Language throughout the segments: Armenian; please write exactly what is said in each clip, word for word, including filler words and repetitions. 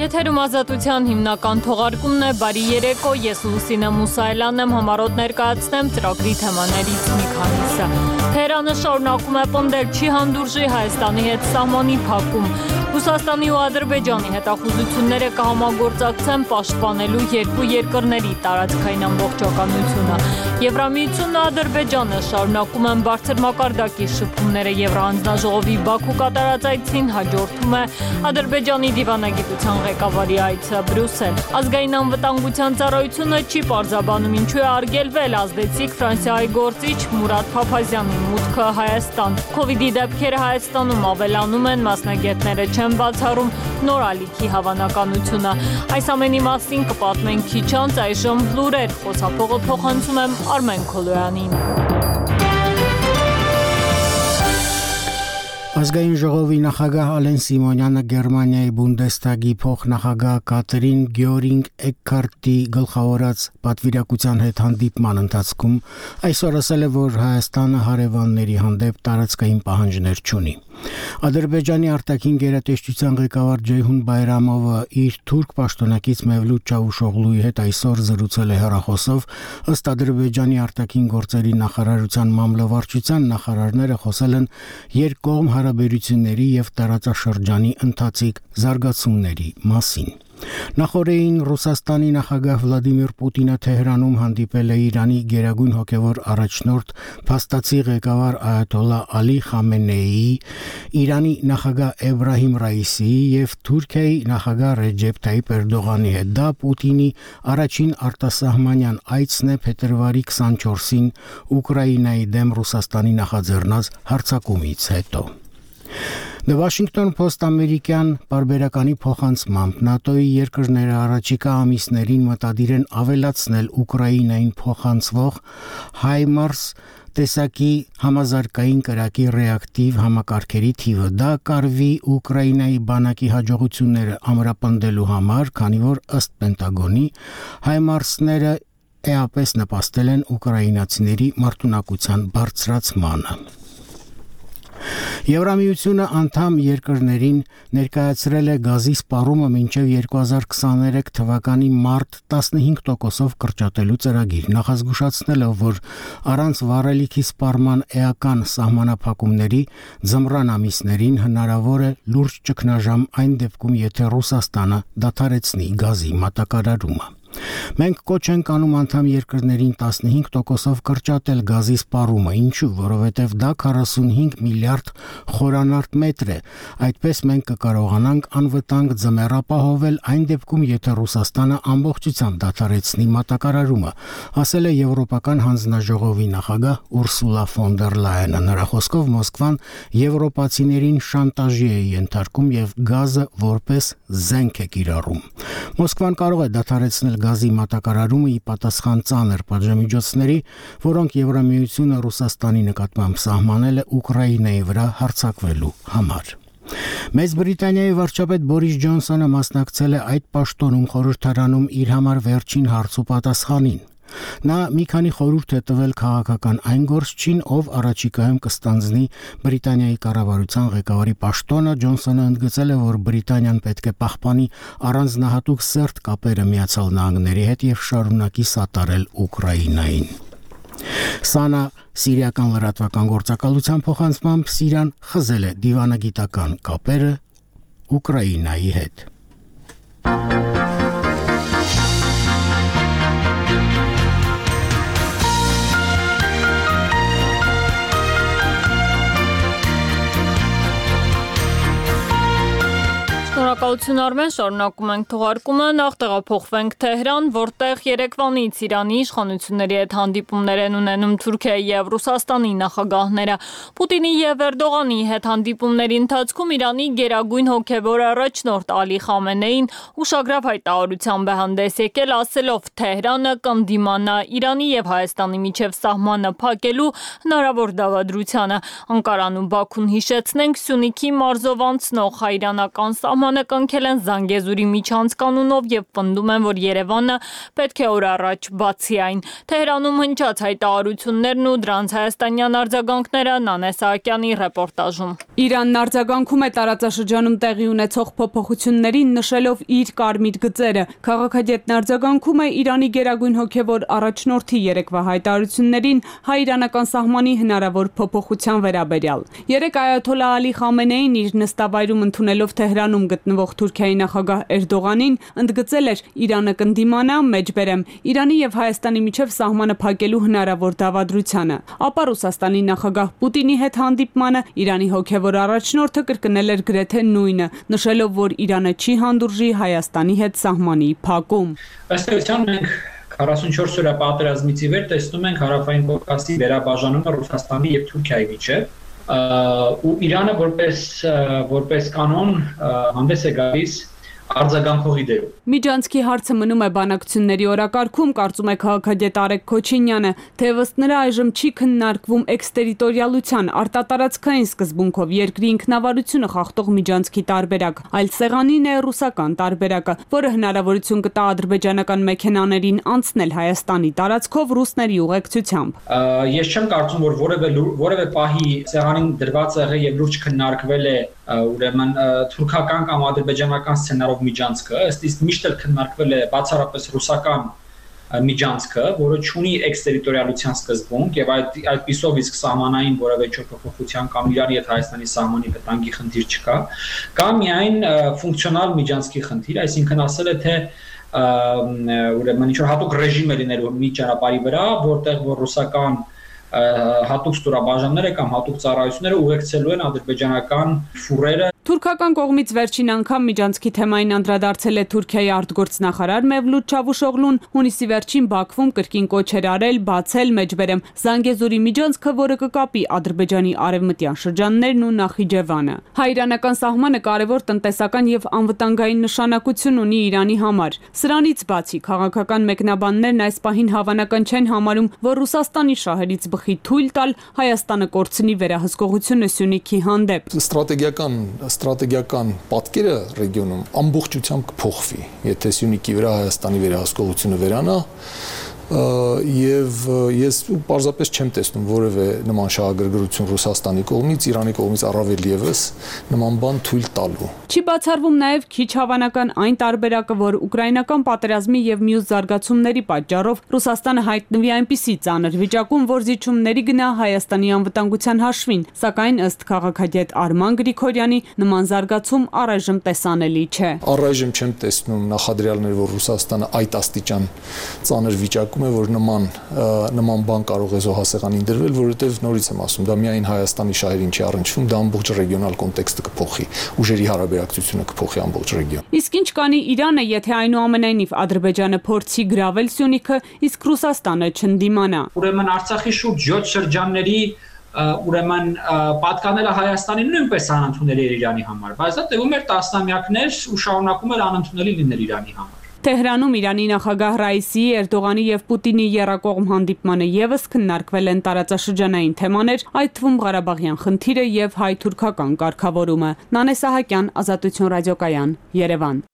Եթերում ազատության հիմնական թողարկումն է, բարի երեկո, ես Լուսինե Մուսայելյանն եմ, համառոտ ներկայացնեմ ծրագրի թեմաներից մի քանիսը։ Թեհրանը շարունակում է պնդել, չի հանդուրժի Հայաստանի հետ սահմանի փակում։ Ռուսաստանի ու Ադրբեջանի հետախուզությունները կհամագործակցեն պաշտպանելու երկու երկրների տարածքային ամբողջականությունը։ Եվրամիությունն ու Ադրբեջանը շարունակում են բարձր մակարդակի շփումները Եվրահանձնաժողովի Բաքու կատարած այցին հաջորդում է Ադրբեջանի դիվանագիտության ղեկավարի այցը Բրյուսել։ Ազգային անվտանգության ծառայությունը չի պարզաբանում ինչու է արգելվել ազդեցիկ Ֆրանսիայի գործիչ Մուրադ Փափազյանի մուտքը Հայաստան։ Քովիդի դեպքերը Հայաստանում ավելանում են, մասնագետները չեն բացառում նոր ալիքի հավանականությունը։ Այս ամենի մասին կպատմենք քիչ անց, այժմ լուրեր, խոսափողը փոխանցում եմ Արմեն Քոլոյանին։ Ազգային ժողովի նախագահ Ալեն Սիմոնյանը Գերմանիայի Բունդեսթագի փոխնախագահ Կատրին Գյորինգ Էքքարտի գլխավորած պատվիրակության հետ հանդիպման ընթացքում այսօր ասել է, որ Հայաստանը հարևանների հանդեպ տարածքային պահանջներ չունի։ Ադրբեջանի արտաքին գերատեսչության ղեկավար Ջեյհուն Բայրամովը իր թուրք պաշտոնակից Մևլութ Չավուշօղլուի հետ այսօր զրուցել է հեռախոսով, ըստ Ադրբեջանի արտաքին գործերի նախարարության մամլովարչության նախարարները խոսել են երկկողմ հարաբերությունների եւ տարածաշրջանի ընթացիկ զարգացումների մասին։ Նախորդին Ռուսաստանի նախագահ Վլադիմիր Պուտինը Թեհրանում հանդիպել է Իրանի գերագույն հոգևոր առաջնորդ փաստացի ղեկավար Այաթոլլա Ալի Խամենեիի, Իրանի նախագահ Էբրահիմ Ռայիսիի եւ Թուրքիայի նախագահ Ռեջեփ Թայիփ Էրդողանի հետ։ Դա Պուտինի առաջին արտասահմանյան այցն է փետրվարի քսանչորսին Ուկրաինայի դեմ Ռուսաստանի նախաձեռնած հարձակումից հետո։ The Washington Post ամերիկյան պարբերականի փոխանցմամբ ՆԱՏՕ-ի երկրները առաջիկա ամիսներին մտադիր են ավելացնել Ուկրաինային փոխանցվող HIMARS տեսակի համազարգային կրակի ռեակտիվ համակարգերի թիվը։ Դա կարվի Ուկրաինայի բանակի հաջողությունները ամրապնդելու համար, քանի որ ըստ Պենտագոնի HIMARS-ները էապես նպաստել են ուկրաինացիների մարտունակության բարձրացմանը։ Եվրամիությունը անդամ երկրներին ներկայացրել է գազի սպառումը մինչև երկու հազար քսաներեք թվականի մարտ տասնհինգ տոկոսով կրճատելու ծրագիր, նախազգուշացնելով, որ առանց վառելիքի սպառման էական սահմանափակումների ձմռան ամիսներին հնարավոր է լուրջ ճգնաժամ այն դեպքում, եթե Ռուսաստանը դադարեցնի գազի մատակարարումը։ Մենք կոչ ենք անում անդամ երկրներին տասնհինգ տոկոսով կրճատել գազի սպառումը, ինչու, որովհետև դա քառասունհինգ միլիարդ խորանարդ մետր է։ Այդպես մենք կկարողանանք անվտանգ ձմեռ ապահովել այն դեպքում, եթե Ռուսաստանը ամբողջությամբ դադարեցնի մատակարարումը, ասել է Եվրոպական հանձնաժողովի նախագահ Ուրսուլա ֆոն դեր Լայենը։ Նրա խոսքով Մոսկվան եվրոպացիներին շանտաժի է ենթարկում եւ գազը որպես զենք է կիրառում։ Մոսկվան կարող է դադարեցնել գազի մատակարարումը ի պատասխան ծանր պատժամիջոցների, որոնք Եվրամիությունը Ռուսաստանի նկատմամբ սահմանել է Ուկրաինայի վրա հարձակվելու համար։ Մեծ Բրիտանիայի վարչապետ Բորիս Ջոնսոնը մասնակցել է այդ պաշտոնում խորհրդարանում իր համար վերջին հարց ու պատասխանին։ Նա մի քանի խորհուրդ է տվել քաղաքական այն գործչին, ով առաջիկայում կստանձնի Բրիտանիայի կառավարության ղեկավարի պաշտոնը։ Ջոնսոնը ընդգծել է, որ Բրիտանիան պետք է պահպանի առանձնահատուկ սերտ կապերը Միացյալ Նահանգների հետ եւ շարունակի սատարել Ուկրաինային։ Սանա սիրիական լրատվական գործակալության փոխանցմամբ Սիրիան խզել է դիվանագիտական կապերը Ուկրաինայի հետ։ Շնորհակալություն Արմեն, շարունակում ենք թողարկումը, նախ տեղափոխվենք Թեհրան, որտեղ երեկվանից Իրանի իշխանությունների հետ հանդիպումներ են ունենում Թուրքիայի եւ Ռուսաստանի նախագահները։ Պուտինի եւ Էրդողանի հետ հանդիպումների ընթացքում Իրանի գերագույն հոգևոր առաջնորդ Ալի Խամենեին ուշագրավ հայտարարությամբ է հանդես եկել, ասելով Թեհրանը կընդդիմանա Իրանի եւ Հայաստանի միջև սահմանը փակելու հնարավոր դավադրությանը։ Անկարան ու Բաքուն, հիշեցնենք, Սյունիքի մարզով անցնող հայիրանական սահմանը արձագանքել են Զանգեզուրի միջանց կանոնով եւ պնդում են, որ Երևանը պետք է օր առաջ բացի այն։ Թեհրանում հնչած հայտարարություններն ու դրանց հայաստանյան արձագանքները Նանե Սահակյանի ռեպորտաժում։ Իրանն արձագանքում է տարածաշրջանում տեղի ունեցող փոփոխություններին, նշելով իր կարմիր գծերը։ Քաղաքագետն արձագանքում է Իրանի գերագույն հոգևոր առաջնորդի երեկվա հայտարարություններին հայ-իրանական սահմանի հնարավոր փոփոխության վերաբերյալ։ Երեկ այաթոլլահ Ալի Խամենեին իր նստավայրում ընդունելով Թեհրանում գտնվող Թուրքիայի նախագահ Էրդողանին ընդգծել էր Իրանը կընդդիմանա, մեջբերեմ, Իրանի եւ Հայաստանի միջև սահմանը փակելու հնարավոր դավադրությանը։ Ապա Ռուսաստանի նախագահ Պուտինի հետ հանդիպմանը Իրանի հոգևոր առաջնորդը կրկնել էր գրեթե նույնը, նշելով, որ Իրանը չի հանդուրժի Հայաստանի հետ սահմանի փակում։ Ըստ էության մենք քառասունչորս օրյա պատերազմից ի վեր տեսնում ենք Հարավային Կովկասի վերաբաժանումը Ռուսաստանի եւ Թուրքիայի միջև, ու Իրանը որպես որպես կանոն հանդես է գալիս արձագանքողի դերում։ Միջանցքի հարցը մնում է բանակցությունների օրակարգում, կարծում է քաղաքագետ Արեգ Քոչինյանը, թեևս նրա այժմ չի քննարկվում էքստերիտորիալության արտատարածքային սկզբունքով երկրի ինքնավարությունը խախտող միջանցքի տարբերակ, այլ սեղանին է ռուսական տարբերակը, որը հնարավորություն կտա ադրբեջանական մեքենաներին անցնել Հայաստանի տարածքով ռուսների ուղեկցությամբ։ Ես չեմ կարծում, որ որևէ որևէ պահի սեղանին դրված եղել եւ լուրջ քննարկվել է ուրեմն թուրքական կամ ադրբեջանական սցենարով միջանցքը, ըստ իս միշտ էլ քննարկվել է բացառապես ռուսական միջանցքը, որը ունի էքստերիտորիալության սկզբունք եւ այդ այդպիսով իսկ սահմանային որևէ փոփոխության կամ Իրանի եւ Հայաստանի սահմանի վտանգի խնդիր չկա, կամ միայն ֆունկցիոնալ միջանցքի խնդիր, այսինքն ասել է թե ուրեմն ինչ-որ հատուկ ռեժիմ է լինելու մի ճանապարհի վրա, որտեղ որ ռուսական հատուկ ստորաբաժանները կամ հատուկ ծառայությունները ուղեկցելու են ադրբեջանական ֆուրերը։ Թուրքական կողմից վերջին անգամ միջանցքի թեմային անդրադարձել է Թուրքիայի արտգործնախարար Մևլութ Չավուշօղլուն, հունիսի վերջին Բաքվում կրկին կոչ էր արել բացել մեջբերեմ Զանգեզուրի միջանցքը, որը կկապի Ադրբեջանի արևմտյան շրջաններն ու Նախիջևանը։ Հայ-իրանական սահմանը կարևոր տնտեսական եւ անվտանգային նշանակություն ունի Իրանի համար։ Սրանից բացի քաղաքական մեկնաբաններն այս պահին հավանական չեն համարում, որ Ռուսաստանի շահերից բխի թույլ տալ Հայաստանը կորցնի վերահսկողությունը Սյունիքի հանդեպ։ Ստրատեգիական Ստրատեգիական պատկերը ռեգիոնում ամբողջությամբ կփոխվի, եթե Սյունիքի վրա Հայաստանի վերահսկողությունը վերանա, եւ ես պարզապես չեմ տեսնում որևէ նման շահագրգռություն Ռուսաստանի կողմից, Իրանի կողմից առավել եւս նման բան թույլ տալու։ Չի բացառվում նաեւ քիչ հավանական այն տարբերակը, որ ուկրաինական պատերազմի եւ մյուս զարգացումների պատճառով Ռուսաստանը հայտնվի այնպիսի ծանր վիճակում, որ զիջումների գնա Հայաստանի անվտանգության հաշվին, սակայն ըստ քաղաքագետ Արման Գրիգորյանի նման զարգացում առայժմ տեսանելի չէ։ Առայժմ չեմ տեսնում նախադրյալներ, որ Ռուսաստանը այդ աստիճան ծանր վիճակ է, որ նման նման բան կարող է զոհասեղանին դրվել, որովհետև նորից եմ ասում, դա միայն Հայաստանի շահերին չի առնչվում, դա ամբողջ ռեգիոնալ կոնտեքստը կփոխի, ուժերի հարաբերակցությունը կփոխի ամբողջ ռեգիոն։ Իսկ ինչ կանի Իրանը, եթե այնուամենայնիվ Ադրբեջանը փորձի գրավել Սյունիքը, իսկ Ռուսաստանը չընդդիմանա։ Ուրեմն Արցախի շուրջ յոթ շրջանների ուրեմն պատկանելը Հայաստանին նույնպես անընդունելի էր Իրանի համար, բայց դա տևում էր տասնամյակներ ու շարունակում էր անընդունելի լինել Իրանի համար։ Թեհրանում Իրանի նախագահ Ռայիսիի, Էրդողանի եւ Պուտինի եռակողմ հանդիպմանը եւս քննարկվել են տարածաշրջանային թեմաներ, այդ թվում Ղարաբաղյան խնդիրը եւ հայ-թուրքական կարգավորումը։ Նանե Սահակյան, Ազատություն ռադիոկայան, Երևան։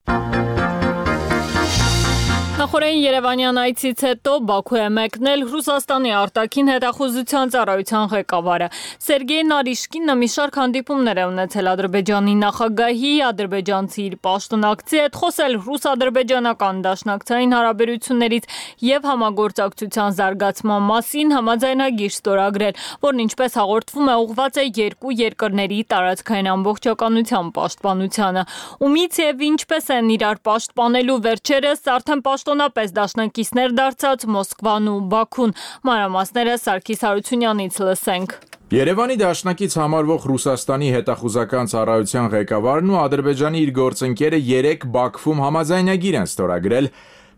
Նախորդին Երևանյան այցից հետո Բաքու է մեկնել Ռուսաստանի արտաքին հետախուզության ծառայության ղեկավարը։ Սերգեյ Նարիշկինը մի շարք հանդիպումներ է ունեցել Ադրբեջանի նախագահի, ադրբեջանցի իր պաշտոնակցի հետ, խոսել ռուս-ադրբեջանական դաշնակցային հարաբերություններից եւ համագործակցության զարգացման մասին, համաձայնագիր ստորագրել, որն ինչպես հաղորդվում է ուղղված է երկու երկրների տարածքային ամբողջականության պաշտպանությանը։ Ումից եւ ինչպես են իրար պաշտպանելու վերջերս արդեն պաշտոնապես դաշնակիցներ դարձած Մոսկվան ու Բաքուն։ Մանրամասները Սարգիս Հարությունյանից լսենք։ Երևանի դաշնակից համարվող Ռուսաստանի հետախուզական ծառայության ղեկավարն ու Ադրբեջանի իր գործընկերը երեկ Բաքվում համաձայնագիր են ստորագրել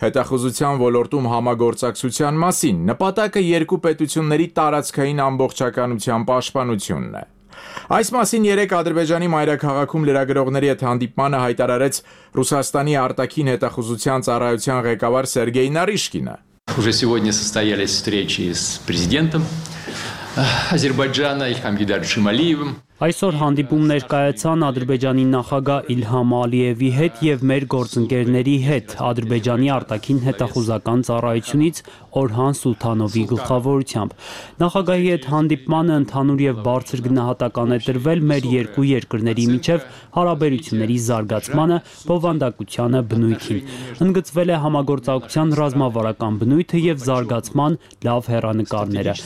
հետախուզության ոլորտում համագործակցության մասին։ Նպատակը երկու պետությունների տարածքային ամբողջականության պաշտպանությունն է։ Այս մասին երեկ Ադրբեջանի մայրաքաղաքում լրագրողների հետ հանդիպմանը հայտարարեց Ռուսաստանի արտաքին հետախուզության ծառայության ղեկավար Սերգեյ Նարիշկինը։ Уже сегодня состоялись встречи с президентом Азербайджана Ильхам Гейдаровичем Алиевым. Այսօր հանդիպում ներկայացան Ադրբեջանի նախագահ Իլհամ Ալիևի հետ եւ մեր գործընկերների հետ Ադրբեջանի արտաքին հետախուզական ծառայությունից Օրհան Սուլթանովի գլխավորությամբ։ Նախագահի հետ հանդիպմանը ընդհանուր եւ բարձր գնահատական է տրվել մեր երկու երկրների միջև հարաբերությունների զարգացմանը, բովանդակությանը, բնույթին։ Ընդգծվել է համագործակցության ռազմավարական բնույթը եւ զարգացման լավ հեռանկարները։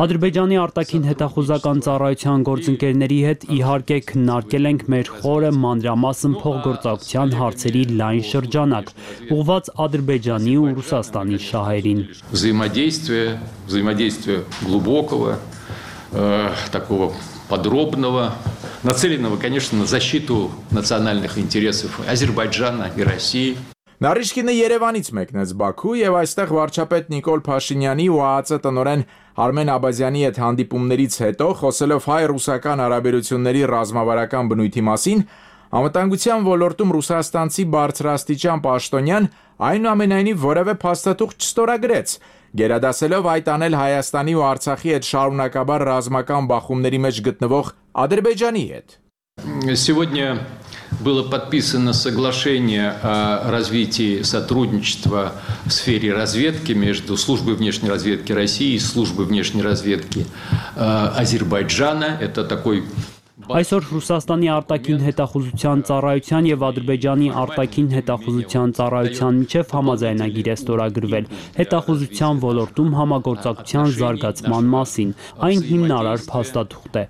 Ադրբեջանի արտաքին հետախուզական ծառայության գործընկերների հետ իհարկե քննարկել ենք մեր խորը մանրամասն փոխգործակցության հարցերի լայն շրջանակ, ուղղված Ադրբեջանի ու Ռուսաստանի շահերին։ Взаимодействие, взаимодействие глубокого, э, такого подробного, нацеленного, конечно, на защиту национальных интересов Азербайджана и России. Նարիշկինը Երևանից մեկնեց Բաքու եւ այստեղ վարչապետ Նիկոլ Փաշինյանի ու ԱԱԾ տնօրեն Արմեն Աբազյանի հետ հանդիպումներից հետո խոսելով հայ-ռուսական հարաբերությունների ռազմավարական բնույթի մասին, անվտանգության ոլորտում ռուսաստանցի բարձրաստիճան պաշտոնյան այնուամենայնիվ որևէ փաստաթուղթ չստորագրեց, գերադասելով այդ անել Հայաստանի ու Արցախի հետ շարունակաբար ռազմական բախումների մեջ գտնվող Ադրբեջանի հետ։ Сегодня было подписано соглашение о развитии сотрудничества в сфере разведки между службой внешней разведки России и службой внешней разведки Азербайджана. Это такой Այսօր Ռուսաստանի արտաքին հետախուզության ծառայության եւ Ադրբեջանի արտաքին հետախուզության ծառայության միջև համաձայնագիր է ստորագրվել հետախուզության ոլորտում համագործակցության զարգացման մասին։ Այն հիմնարար փաստաթուղթ է։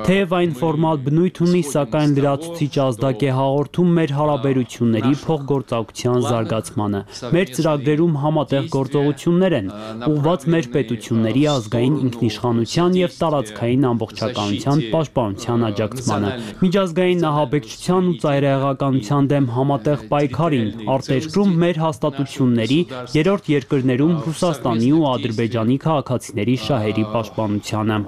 Թեև այն ֆորմալ բնույթ ունի, սակայն լրացուցիչ ազդակ է հաղորդում մեր հարաբերությունների փոխգործակցության զարգացմանը։ Մեր ծրագրերում համատեղ գործողություններ են, ուղղված մեր պետությունների ազգային ինքնիշխանության եւ տարածքային ամբողջականության պաշտպանության աջակցմանը, միջազգային նահաբեկչության ու ծայրահեղականության դեմ համատեղ պայքարին, արտերկրում մեր հաստատությունների, երրորդ երկրներում Ռուսաստանի ու Ադրբեջանի քաղաքացիների շահերի պաշտպանությանը։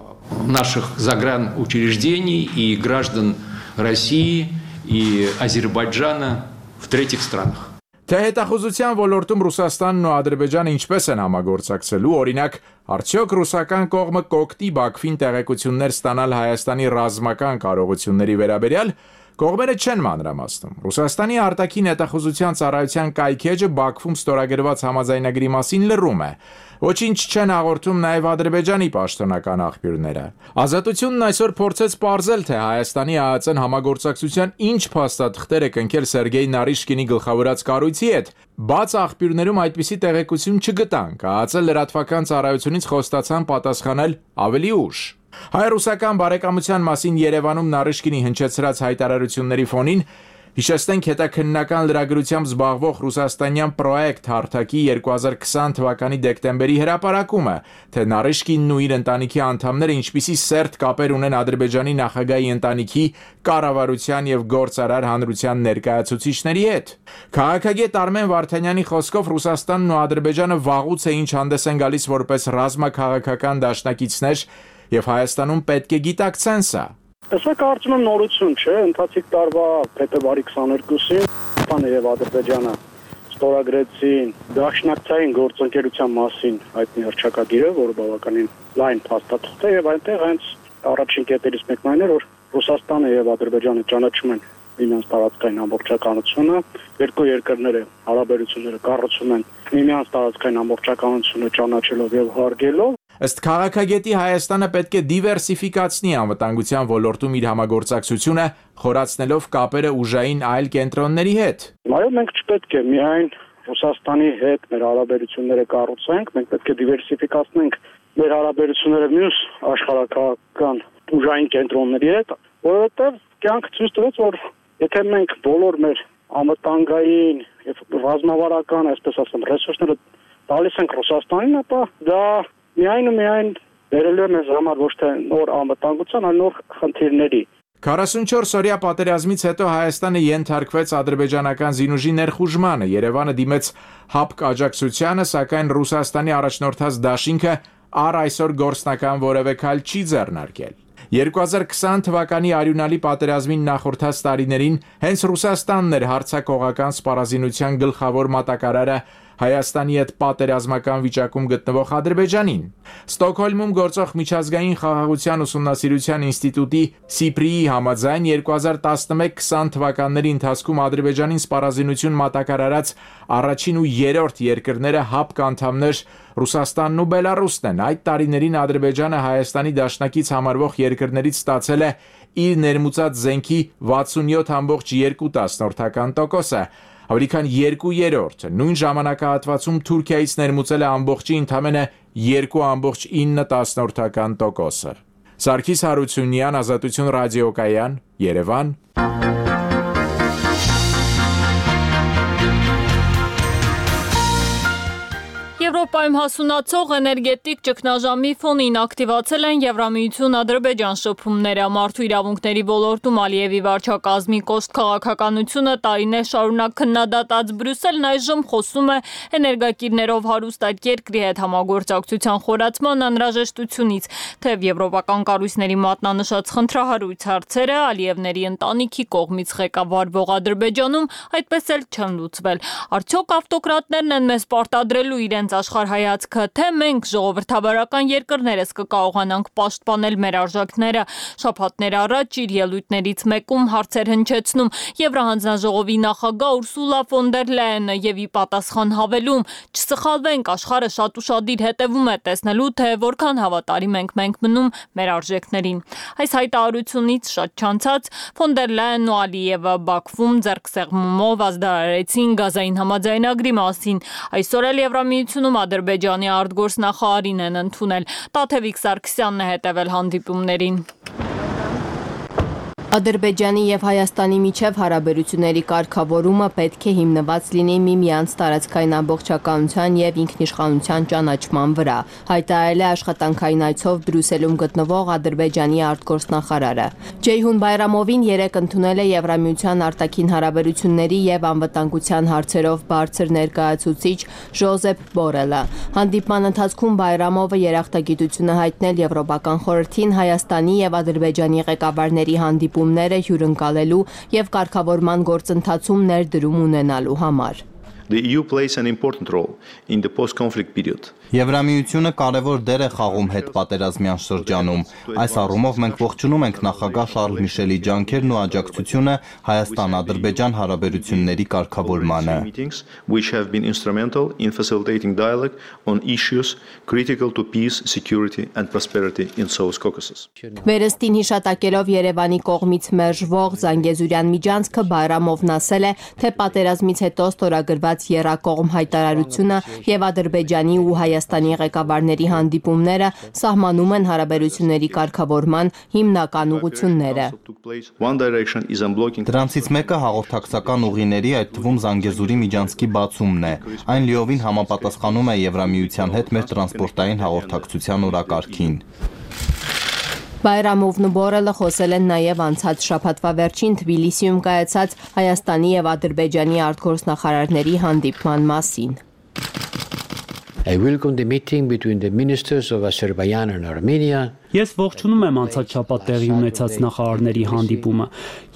Наших загранучреждений и граждан России и Азербайджана в третьих странах. Թե հետախուզության ոլորտում Ռուսաստանն ու Ադրբեջանը ինչպես են համագործակցելու, օրինակ, արդյոք ռուսական կողմը կօգտի Բաքվին տեղեկություններ ստանալ Հայաստանի ռազմական կարողությունների վերաբերյալ, կողմերը չեն մանրամասնում։ Ռուսաստանի արտաքին հետախուզության ծառայության կայքեջը Բաքվում ստորագրված համաձայնագրի մասին լռում է։ Ոչինչ չեն հաղորդում նաև Ադրբեջանի պաշտոնական աղբյուրները։ Ազատությունն այսօր փորձեց պարզել, թե Հայաստանի ԱԱԾ-ն համագործակցության ինչ փաստաթղթեր է կնքել Սերգեյ Նարիշկինի գլխավորած կառույցի հետ։ Բաց աղբյուրներում այդպիսի տեղեկություն չգտանք։ ԱԱԾ լրատվական ծառայությունից խոստացան պատասխանել ավելի ուշ։ Հայ-ռուսական բարեկամության մասին Երևանում Նարիշկինի հնչեցրած հայտարարությունների ֆոնին հիշեցնենք հետաքննական լրագրությամբ զբաղվող ռուսաստանյան պրոյեկտ հարթակի երկու հազար քսան թվականի դեկտեմբերի հրապարակումը, թե Նարիշկինն ու իր ընտանիքի անդամները ինչպիսի սերտ կապեր ունեն Ադրբեջանի նախագահի ընտանիքի, կառավարության եւ գործարար հանրության ներկայացուցիչների հետ։ Քաղաքագետ Արմեն Վարդանյանի խոսքով Ռուսաստանն ու Ադրբեջանը վաղուց է ինչ հանդես են գալիս որպես ռազմաքաղաքական դաշնակիցներ եւ Հայաստանում պետք է գիտակցեն սա։ Սա կարծում եմ նորություն չէ, ընթացիկ տարվա փետրվարի քսաներկուսին Հայաստանը եւ Ադրբեջանը ստորագրեցին դաշնակցային գործընկերության մասին հայտնի հռչակագիրը, որը բավականին լայն փաստաթուղթ է եւ այնտեղ հենց առաջին կետերից մեկն այն էր, որ Ռուսաստանը եւ Ադրբեջանը ճանաչում են միմյանց տարածքային ամբողջականությունը, երկու երկրները հարաբերությունները կառուցում են միմյանց տարածքային ամբողջականությունը ճանաչելով եւ հարգելով։ Ըստ քաղաքագետի Հայաստանը պետք է դիվերսիֆիկացնի անվտանգության ոլորտում իր համագործակցությունը, խորացնելով կապերը ուժային այլ կենտրոնների հետ։ Այո, մենք չպետք է միայն Ռուսաստանի հետ մեր հարաբերությունները կառուցենք, մենք պետք է դիվերսիֆիկացնենք մեր հարաբերությունները մյուս աշխարհակաղակական ուժային կենտրոնների հետ, որովհետև կյանքը ցույց տվեց, որ եթե մենք բոլոր մեր անվտանգային եւ ռազմավարական, այսպես ասեմ, ռեսուրսները տալիս ենք Ռուսաստանին, ապա դա միայն ու միայն վերել է մեզ համար ոչ թե նոր անվտանգության, այլ նոր խնդիրների։ քառասունչորս օրյա պատերազմից հետո Հայաստանը ենթարկվեց ադրբեջանական զինուժի ներխուժմանը, Երևանը դիմեց հապկ աջակցությանը, սակայն Ռուսաստանի առաջնորդած դաշինքը առ այսօր գործնական որևէ քայլ չի ձեռնարկել։ երկու հազար քսան թվականի արյունալի պատերազմին նախորդած տարիներին հենց Ռուսաստանն էր հարձակողական սպառազինության գլխավոր մատակարարը Հայաստանի հետ պատերազմական վիճակում գտնվող Ադրբեջանին։ Ստոկհոլմում գործող միջազգային խաղաղության ուսումնասիրության ինստիտուտի Սիպրիի համաձայն երկու հազար տասնմեկ քսան թվականների ընթացքում Ադրբեջանին սպառազինություն մատակար արած առաջին ու երրորդ երկրները ՀԱՊԿ անդամներ Ռուսաստանն ու Բելառուսն են։ Այդ տարիներին Ադրբեջանը Հայաստանի դաշնակից համարվող երկրներից ստացել է իր ներմուծած զենքի վաթսունյոթ կόμμα երկու տոկոսը, ավելի քան երկու երրորդը։ Նույն ժամանակահատվածում Թուրքիայից ներմուծել է ամբողջի ընդամենը երկու կόμμα ինը տոկոսը։ Սարգիս Հարությունյան, Ազատություն ռադիոկայան, Երևան։ Եվրոպայում հասունացող էներգետիկ ճգնաժամի ֆոնին ակտիվացել են Եվրամիություն-Ադրբեջան շփումները։ Մարդու իրավունքների ոլորտում Ալիևի վարչակազմի կոշտ քաղաքականությունը տարիներ շարունակ քննադատած Բրյուսելն այժմ խոսում է էներգակիրներով հարուստ այդ երկրի հետ համագործակցության խորացման անհրաժեշտությունից, թեև եվրոպական կառույցների մատնանշած խնդրահարույց հարցերը Ալիևների ընտանիքի կողմից ղեկավարվող Ադրբեջանում այդպես էլ չեն լուծվել։ Արդյոք ավտոկրատներն են մեզ պարտադրելու իրենց աշխարհայացքը, թե մենք ժողովրդավարական երկրներս կկարողանանք պաշտպանել մեր արժեքները։ Շաբաթներ առաջ իր ելույթներից մեկում հարցեր հնչեցնում Եվրահանձնաժողովի նախագահ Ուրսուլա ֆոն դեր Լայենը եւ ի պատասխան հավելում. «Չսխալվենք, աշխարհը շատ ուշադիր հետևում է տեսնելու, թե որքան հավատարիմ ենք մենք մնում մեր արժեքներին»։ Այս հայտարարությունից շատ չանցած ֆոն դեր Լայենն ու Ալիևը Բաքվում ձեռքսեղմումով ազդարարեցին գազային համաձայնագրի մասին։ Այսօր էլ Եվրամիությունում Ադրբեջանի արտգործնախարարին են ընդունել։ Տաթևիկ Սարգսյանն է հետևել հանդիպումներին։ Ադրբեջանի եւ Հայաստանի միջև հարաբերությունների կարգավորումը պետք է հիմնված լինի միմյանց տարածքային ամբողջականության եւ ինքնիշխանության ճանաչման վրա, հայտարարել է աշխատանքային այցով Բրյուսելում գտնվող Ադրբեջանի արտգործնախարարը։ Ջեյհուն Բայրամովին երեկ ընդունել է Եվրամիության արտաքին հարաբերությունների եւ անվտանգության հարցերով բարձր ներկայացուցիչ Ժոզեփ Բորելը։ Հանդիպման ընթացքում Բայրամովը երախտագիտություն է հայտնել Եվրոպական խորհրդին Հայաստանի եւ Ադրբեջանի ղեկավարների հանդիպում հյուրընկալելու եւ կարգավորման գործընթացում ներդրում ունենալու համար։ The E U plays an important role in the post-conflict period. Եվրամիությունը կարևոր դեր է խաղում հետպատերազմյան շրջանում։ Այս առումով մենք ողջունում ենք նախագահ Շարլ Միշելի ջանքերն ու աջակցությունը Հայաստան-Ադրբեջան հարաբերությունների կարգավորմանը։ Which have been instrumental in facilitating dialogue on issues critical to peace, security and prosperity in South Caucasus. Վերստին հիշատակելով Երևանի կողմից մերժվող Զանգեզուրյան միջանցքը Բայրամովն ասել է, թե պատերազմից հետո ստորագրված եռակողմ հայտարարությունը եւ Ադրբեջանի ու Հայաստանի ղեկավարների հանդիպումները սահմանում են հարաբերությունների կարգավորման հիմնական ուղղությունները։ Դրանցից մեկը հաղորդակցական ուղիների, այդ թվում Զանգեզուրի միջանցքի բացումն է։ Այն լիովին համապատասխանում է Եվրամիության հետ մեր տրանսպորտային հաղորդակցության օրակարգին։ Բայրամովն ու Բորելը խոսել են նաև անցած շաբաթվա վերջին Թբիլիսիում կայացած Հայաստանի եւ Ադրբեջանի արտգործնախարարների հանդիպման մասին։ I welcome the meeting between the ministers of Azerbaijan and Armenia. Ես ողջունում եմ անցած շաբաթ տեղի ունեցած նախարարների հանդիպումը։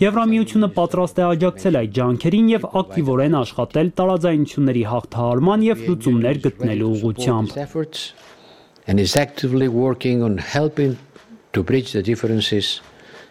Եվրամիությունը պատրաստ է աջակցել այդ ջանքերին եւ ակտիվորեն աշխատել տարաձայնությունների հաղթահարման եւ լուծումներ գտնելու ուղղությամբ։ And is actively working on helping to bridge the differences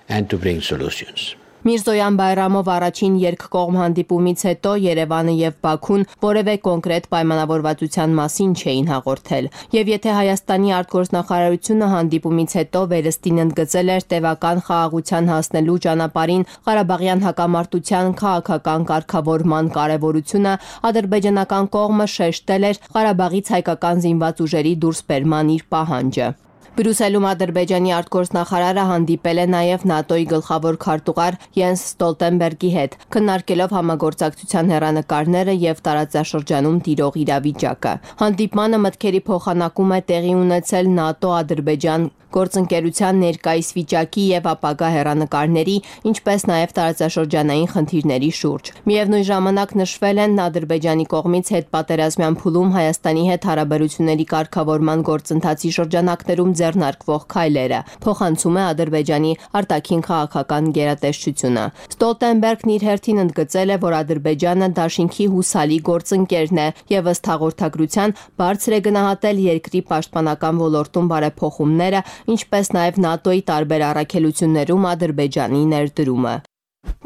and to bring solutions. Միրզոյան Բայրամով առաջին երկկողմ հանդիպումից հետո Երևանը եւ Բաքուն որևէ կոնկրետ պայմանավորվածության մասին չէին հաղորդել։ Եվ եթե Հայաստանի արտգործնախարարությունը հանդիպումից հետո վերստին ընդգծել էր տևական խաղաղության հասնելու ճանապարհին Ղարաբաղյան հակամարտության քաղաքական կարգավորման կարևորությունը, ադրբեջանական կողմը շեշտել էր Ղարաբաղից հայկական զինված ուժերի դուրսբերման իր պահանջը։ Բրյուսելում Ադրբեջանի արտգործնախարարը հանդիպել է նաև ՆԱՏՕ-ի գլխավոր քարտուղար Յենս Ստոլտենբերգի հետ, քննարկելով համագործակցության հեռանկարները եւ տարածաշրջանում տիրող իրավիճակը։ Հանդիպմանը մտքերի փոխանակում է տեղի ունեցել ՆԱՏՕ-Ադրբեջան գործընկերության ներկայիս վիճակի եւ ապագա հեռանկարների, ինչպես նաեւ տարածաշրջանային խնդիրների շուրջ։ Միևնույն ժամանակ նշվել են Ադրբեջանի կողմից հետպատերազմյան փուլում Հայաստանի հետ հարաբերությունների կարգավորման գործընթացի շրջանակներում ձեռնարկվող քայլերը, փոխանցում է Ադրբեջանի արտաքին քաղաքական գերատեսչությունը։ Ստոլտենբերգն իր հերթին ընդգծել է, որ Ադրբեջանը դաշինքի հուսալի գործընկերն է եւ ըստ հաղորդագրության բարձր է գնահատել երկրի պաշտպանական ոլորտում բարեփոխումները, ինչպես նաեւ ՆԱՏՕ-ի տարբեր առաքելություններում Ադրբեջանի ներդրումը։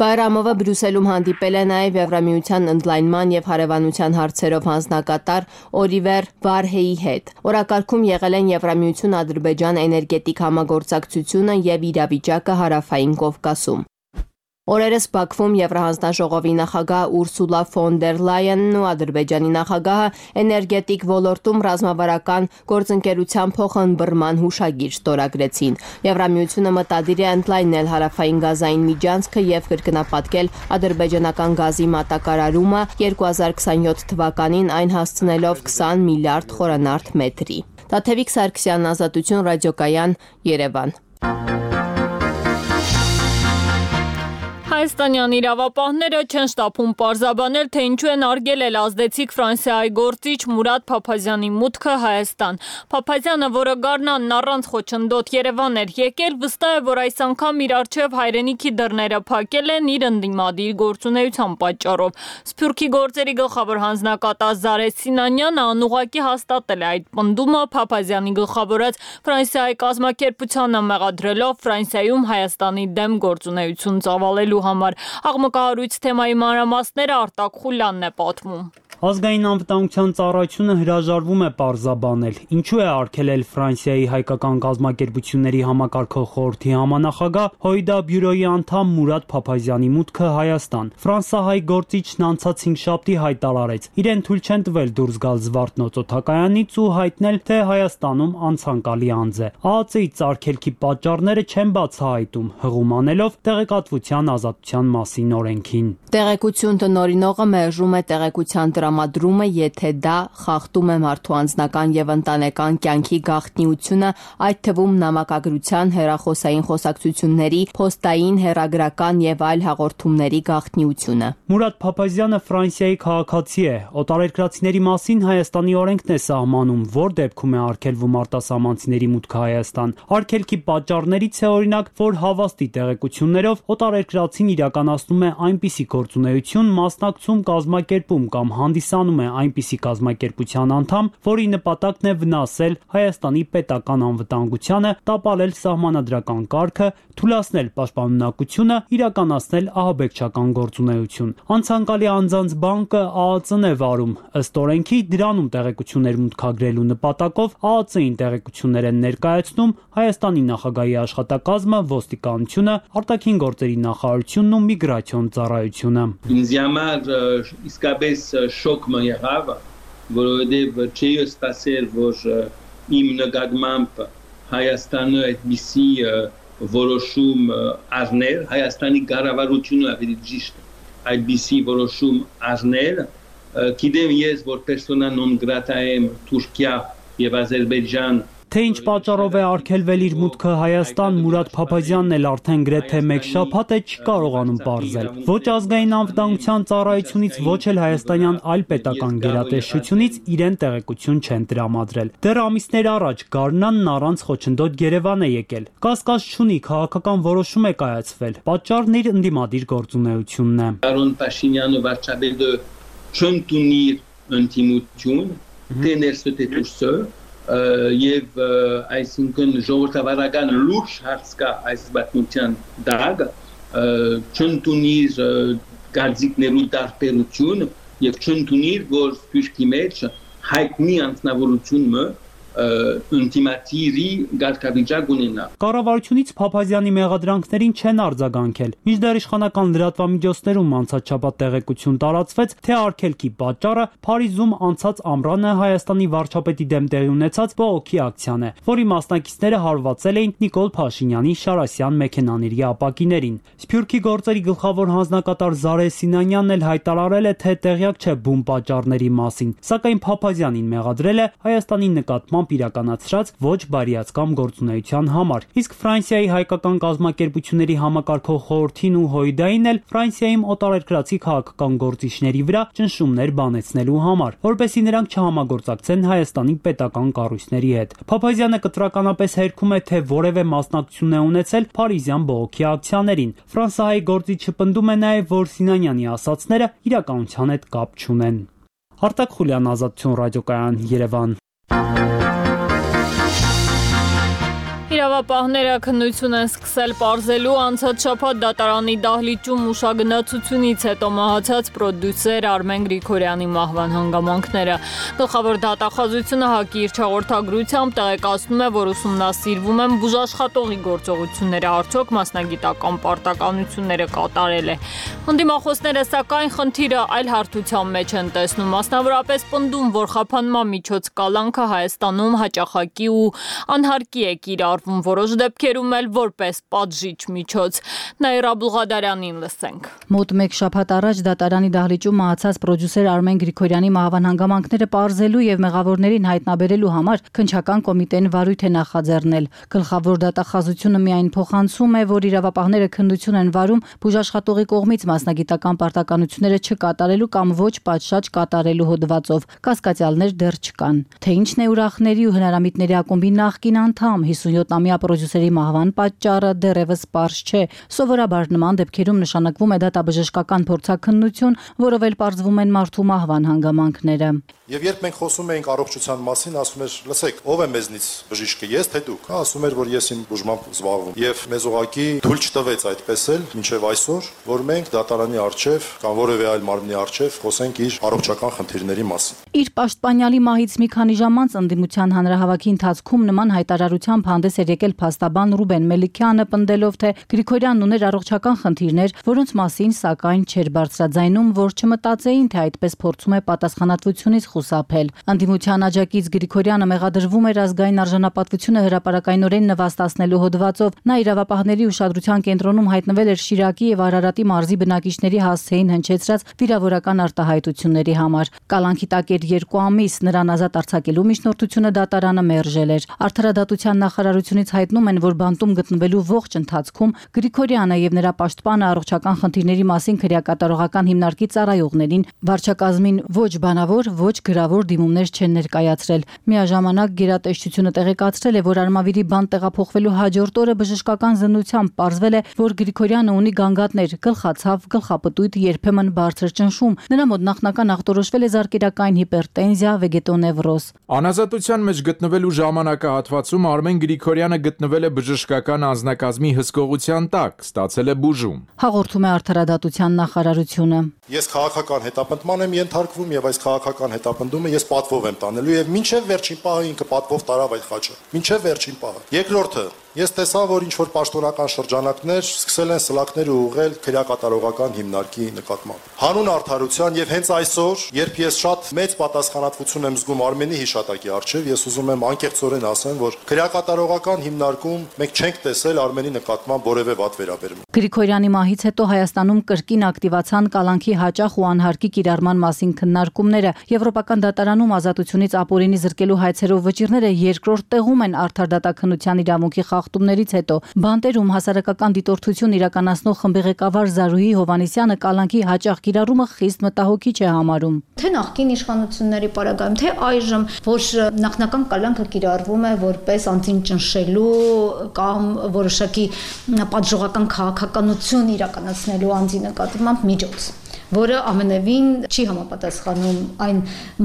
Բայրամովը Բրյուսելում հանդիպել է նաև Եվրամիության ընդլայնման եւ հարևանության հարցերով հանձնակատար Օլիվեր Վարհեի հետ։ Օրակարգում եղել են Եվրամիություն Ադրբեջան էներգետիկ համագործակցությունը եւ իրավիճակը Հարավային Կովկասում։ Օրերս Բաքվում Եվրահանձնաժողովի նախագահ Ուրսուլա ֆոն դեր Լայենն ու Ադրբեջանի նախագահը էներգետիկ ոլորտում ռազմավարական գործընկերության փոխըմբռնման հուշագիր ստորագրեցին։ Եվրամիությունը մտադիր է ընդլայնել հարավային գազային միջանցքը եւ կրկնապատկել ադրբեջանական գազի մատակարարումը երկու հազար քսանյոթ թվականին այն հասցնելով քսան միլիարդ խորանարդ մետրի։ Տաթևիկ Սարգսյան, Ազատություն ռադիոկայան, Երևան։ Հայաստանյան իրավապահները չեն շտապում պարզաբանել, թե ինչու են արգել էլ ազդեցիկ Ֆրանսիայի գործիչ Մուրադ Փափազյանի մուտքը Հայաստան։ Փափազյանը, որը գարնանն առանց խոչընդոտ Երևան էր եկել, վստահ է, որ այս անգամ իր առջև հայրենիքի դռները փակել են իր ընդդիմադիր գործունեության պատճառով։ Սփյուռքի գործերի գլխավոր հանձնակատար Զարե Սինանյանը անուղղակի հաստատել է այդ պնդումը, Փափազյանի գլխավորած Ֆրանսիայի կազմակերպությանը մեղադրելով Ֆրանսիայում Հայաստանի դեմ գործունեություն ծավալելու համար։ Աղմկահարույց թեմայի մանրամասները Արտակ Խուլյանն է պատմում։ Ազգային անվտանգության ծառայությունը հրաժարվում է պարզաբանել, ինչու է արգելել Ֆրանսիայի հայկական կազմակերպությունների համակարգող խորհրդի համանախագահ Հոյդա բյուրոյի անդամ Մուրադ Փափազյանի մուտքը Հայաստան։ Ֆրանսահայ գործիչն անցած հինգշաբթի հայտարարեց, իրեն թույլ չեն տվել դուրս գալ Զվարթնոց օդակայանից ու հայտնել, թե Հայաստանում անցանկալի անձ է։ ԱԱԾ-ից արգելքի պատճառները չեն բացահայտում, հղում անելով տեղեկատվության ազատության մասին օրենքին։ Տեղեկություն տնօրինողը մերժում է տեղեկության տրամադրումը, եթե դա խախտում է մարդու անձնական եւ ընտանեկան կյանքի գաղտնիությունը, այդ թվում նամակագրության, հեռախոսային խոսակցությունների, փոստային, հեռագրական եւ այլ հաղորդումների գաղտնիությունը։ Մուրադ Փափազյանը Ֆրանսիայի քաղաքացի է։ Օտարերկրացիների մասին Հայաստանի օրենքն է սահմանում, որ դեպքում է արգելվում արտասահմանցիների մուտքը Հայաստան։ Արգելքի պատճառներից է օրինակ, որ հավաստի տեղեկություններով օտարերկրացին իրականացնում է այնպիսի գործունեություն, մասնակցում, կազմակերպում կամ հանդիսանում է այնպիսի կազմակերպության անդամ, որի նպատակն է վնասել Հայաստանի պետական անվտանգությանը, տապալել սահմանադրական կարգը, թուլացնել պաշտպանունակությունը, իրականացնել ահաբեկչական գործունեություն։ Անցանկալի անձանց բանկը ԱԱԾ-ն է վարում։ Ըստ օրենքի դրանում տեղեկություններ մուտքագրելու նպատակով ԱԱԾ-ին տեղեկություններ են ներկայացնում Հայաստանի նախագահի աշխատակազմը, ոստիկանությունը, արտաքին գործերի նախարարությունն ու միգրացիոն ծառայությունը։ Ինձ համար իսկապես շոկ մը եղավ, որովհետև չէի սպասել, որ իմ նկատմամբ Հայաստանը այդպիսի որոշում առներ, Հայաստանի կառավարությունը ավելի ճիշտ այդպիսի որոշում առներ, գիտեմ ես, որ պերսոնա նոն գրատա եմ Թուրքիա եւ Ադրբեջան։ Թե ինչ պատճառով է արգելվել իր մուտքը Հայաստան, Մուրադ Փափազյանն էլ արդեն գրեթե մեկ շաբաթ է չի կարողանում պարզել։ Ոչ ազգային անվտանգության ծառայությունից, ոչ էլ հայաստանյան այլ պետական գերատեսչությունից իրեն տեղեկություն չեն տրամադրել։ Դեռ ամիսներ առաջ Գարնանն առանց խոչընդոտ Երևան է եկել։ Կասկած չունի, քաղաքական որոշում է կայացվել։ Պատճառն իր ընդդիմադիր գործունեությունն է։ Պարոն Փաշինյանը վարչապետը չընդունի ընդդիմություն, թե ներսը թե դուրսը եւ այսինքն ժողովրդավարական լուրջ հարց կա այս պատմության դակ, չընդունիր գարձիկներու տարբերություն եւ չընդունիր, որ Սփյուռքի մեջ հայտնի անձնավորությունը ինտիմատիրի գարկավիճակ ունենա։ Կառավարությունից Փափազյանի մեղադրանքներին չեն արձագանքել։ Մինչդեռ իշխանական լրատվամիջոցներում անցած շաբաթ տեղեկություն տարածվեց, թե արգելքի պատճառը Փարիզում անցած ամռանը Հայաստանի վարչապետի դեմ տեղի ունեցած բողոքի ակցիան է, որի մասնակիցները հարվածել էին Նիկոլ Փաշինյանի Շարասյան մեքենաների ապակիներին։ Սփյուռքի գործերի գլխավոր հանձնակատար Զարե Սինանյանն էլ հայտարարել է, թե տեղյակ չէ բուն պատճառների մասին, սակայն Փափազյանին մեղադրել է Հայաստանի նկատմամբ նպատակությամբ իրականացրած ոչ բարիացկամ գործունեության համար։ Իսկ Ֆրանսիայի հայկական կազմակերպությունների համակարգող խորհրդին ու Հոյդային էլ Ֆրանսիայում օտարերկրացի քաղաքական գործիչների վրա ճնշումներ բանեցնելու համար, որպեսզի նրանք չհամագործակցեն Հայաստանի պետական կառույցների հետ։ Փափազյանը կտրականապես հերքում է, թե որևէ մասնակցություն է ունեցել Փարիզյան բողոքի ակցիաներին։ Ֆրանսահայ գործիչը պնդում է նաև, որ Սինանյանի ասացները իրականության հետ կապ չունեն։ Արտակ Խուլյան, Ազատություն ռադիոկայան, Երևան։ Իրավապահները քննություն են սկսել պարզելու անցած շաբաթ դատարանի դահլիճում ուշագնացությունից հետո մահացած պրոդյուսեր Արմեն Գրիգորյանի մահվան հանգամանքները։ Գլխավոր դատախազությունը ՀԱԿ-ի իր հաղորդագրությամբ տեղեկացնում է, որ ուսումնասիրվում են բուժաշխատողի գործողությունները, արդյոք մասնագիտական պարտականությունները կատարել է։ Ընդդիմախոսները սակայն խնդիրը այլ հարթության մեջ են տեսնում, մասնավորապես պնդում, որ խափանման միջոց կալանքը Հայաստանում հաճախակի ու անհարկի է կիրառվում, որոշ դեպքերում էլ որպես պատժիչ միջոց։ Նաիրա Բուղադարյանին լսենք։ Մոտ մեկ շաբաթ առաջ դատարանի դահլիճում մահացած պրոդյուսեր Արմեն Գրիգորյանի մահվան հանգամանքները պարզելու եւ մեղավորներին հայտնաբերելու համար քննչական կոմիտեն վարույթ է նախաձեռնել։ Գլխավոր դատախազությունը միայն փոխանցում է, որ իրավապահները քննություն են վարում բուժաշխատողի կողմից մասնագիտական պարտականությունները չկատարելու կամ ոչ պատշաճ կատարելու հոդվածով։ Կասկածյալներ դեռ չկան։ Թե ինչն է ուրախների ու հնարամիտների ակումբի նախկին անդամ հիսունյոթամյա պրոդյուսերի մահվան պատճառը դեռևս պարզ չէ։ Սովորաբար նման դեպքերում նշանակվում է դատաբժշկական փորձաքննություն, որով էլ պարզվում են մարդու մահվան հանգամանքները։ Եվ երբ մենք խոսում էինք առողջության մասին, ասում էր, լսեք, ով է մեզնից բժիշկը, ես թե դուք։ Նա ասում էր, որ ես իմ բուժմամբ զբաղվում։ Եվ մեզ ուղղակի թույլ չտվեց այդպես էլ մինչև այսօր, որ մենք դատարանի առջև կամ որևէ այլ մարմնի առջև խոսենք իր առողջական խնդիրների մասին։ Իր պաշտպանյալի մահից մի քանի ժամ անց ընդդիմության հանրահավաքի ընթացքում նման հայտարարությամբ հանդես էր եկել փաստաբան Ռուբեն Մելիքյանը, պնդելով, թե Գրիգորյանն ուներ առողջական խնդիրներ, որոնց մասին սակայն չէր բարձրաձայնում, որ չմտածեին, թե այդպես փորձում է պատասխանատվությունից խուսափել։ Ընդդիմության աջակից Գրիգորյանը մեղադրվում էր ազգային արժանապատվությունը հրապարակայնորեն նվաստացնելու հոդվածով։ Նա իրավապահների ուշադրության կենտրոնում հայտնվել էր Շիրակի եւ Արարատի մարզի բնակիչների հասցեին հնչեցրած վիրավորական արտահայտությունների համար։ Կալանքի տակ էր երկու ամիս, նրան ազատ արձակելու միջնորդությունը դատարանը մերժել էր։ Արդարադատության նախարարությունից հայտնում են, որ բանտում գտնվելու ողջ ընթացքում Գրիգորյանը եւ նրա պաշտպանը առողջական խնդիրների մասին քրեակատարողական հիմնարկի ծառայողներին վարչակազմին ոչ բանավոր, ոչ գրավոր դիմումներ չեն ներկայացրել։ Միաժամանակ գերատեսչությունը տեղեկացրել է, որ Արմավիրի բանտ տեղափոխվելու հաջորդ օրը բժշկական զննությամբ պարզվել է, որ Գրիգորյանը ունի գանգատներ, գլխացավ, գլխապտույտ, երբեմն բարձր ճնշում։ Նրա մոտ նախնական ախտորոշվել է զարկերակային հիպերտենզիա, վեգետոնևրոզ։ Անազատության մեջ գտնվելու ժամանակահատվածում Արմեն Գրիգորյանը գտնվել է բժշկական անձնակազմի հսկողության տակ, ստացել է բուժում։ Հաղորդում է Արդարադատության նախարարությունը։ Ես քաղաքական հետապնդման եմ ենթարկվում եւ այս քաղաքական հետապնդումը ես պատվով եմ տանելու եւ մինչեւ վերջին պահը ինքը պատվով տարավ այդ խաչը։ Մինչեւ վերջին պահը։ Երկրորդը, ես տեսա, որ ինչ որ պաշտոնական շրջանակներ սկսել են սլակներ ուղղել քրեակատարողական հիմնարկի նկատմամբ։ Հանուն արդարության եւ հենց այսօր, երբ ես շատ մեծ պատասխանատվություն եմ զգում Արմենի հիշատակի առջեւ, ես ուզում եմ անկեղծորեն ասեմ, որ քրեակատարողական հիմնարկում մենք չենք տեսել Արմենի նկատմամբ որևէ վատ վերաբերմունք։ Գրիգորյանի մահից հետո Հայաստանում կրկին ակտիվացան կալանքի հաճախ ու անհարկի կիրառման մասին քննարկումները։ Եվրոպական դատարանում ազատությունից ապօրինի զրկելու հայցերով վճիռները երկրորդ տեղում են արդար դատաքննության իրավունքի խախտումներից հետո։ Բանտերում հասարակական դիտորդություն իրականացնող խմբի ղեկավար Զարուհի Հովանեսյանը կալանքի հաճախ կիրառումը խիստ մտահոգիչ է համարում։ Թե նախկին իշխանությունների պարագայում, թե այժմ, որ նախնական կալանքը կիրառվում է որպես անձին ճնշելու կամ որոշակի պատժողական քաղաքականություն իրականացնելու անձի նկատմամբ միջոց, որը ամենևին չի համապատասխանում այն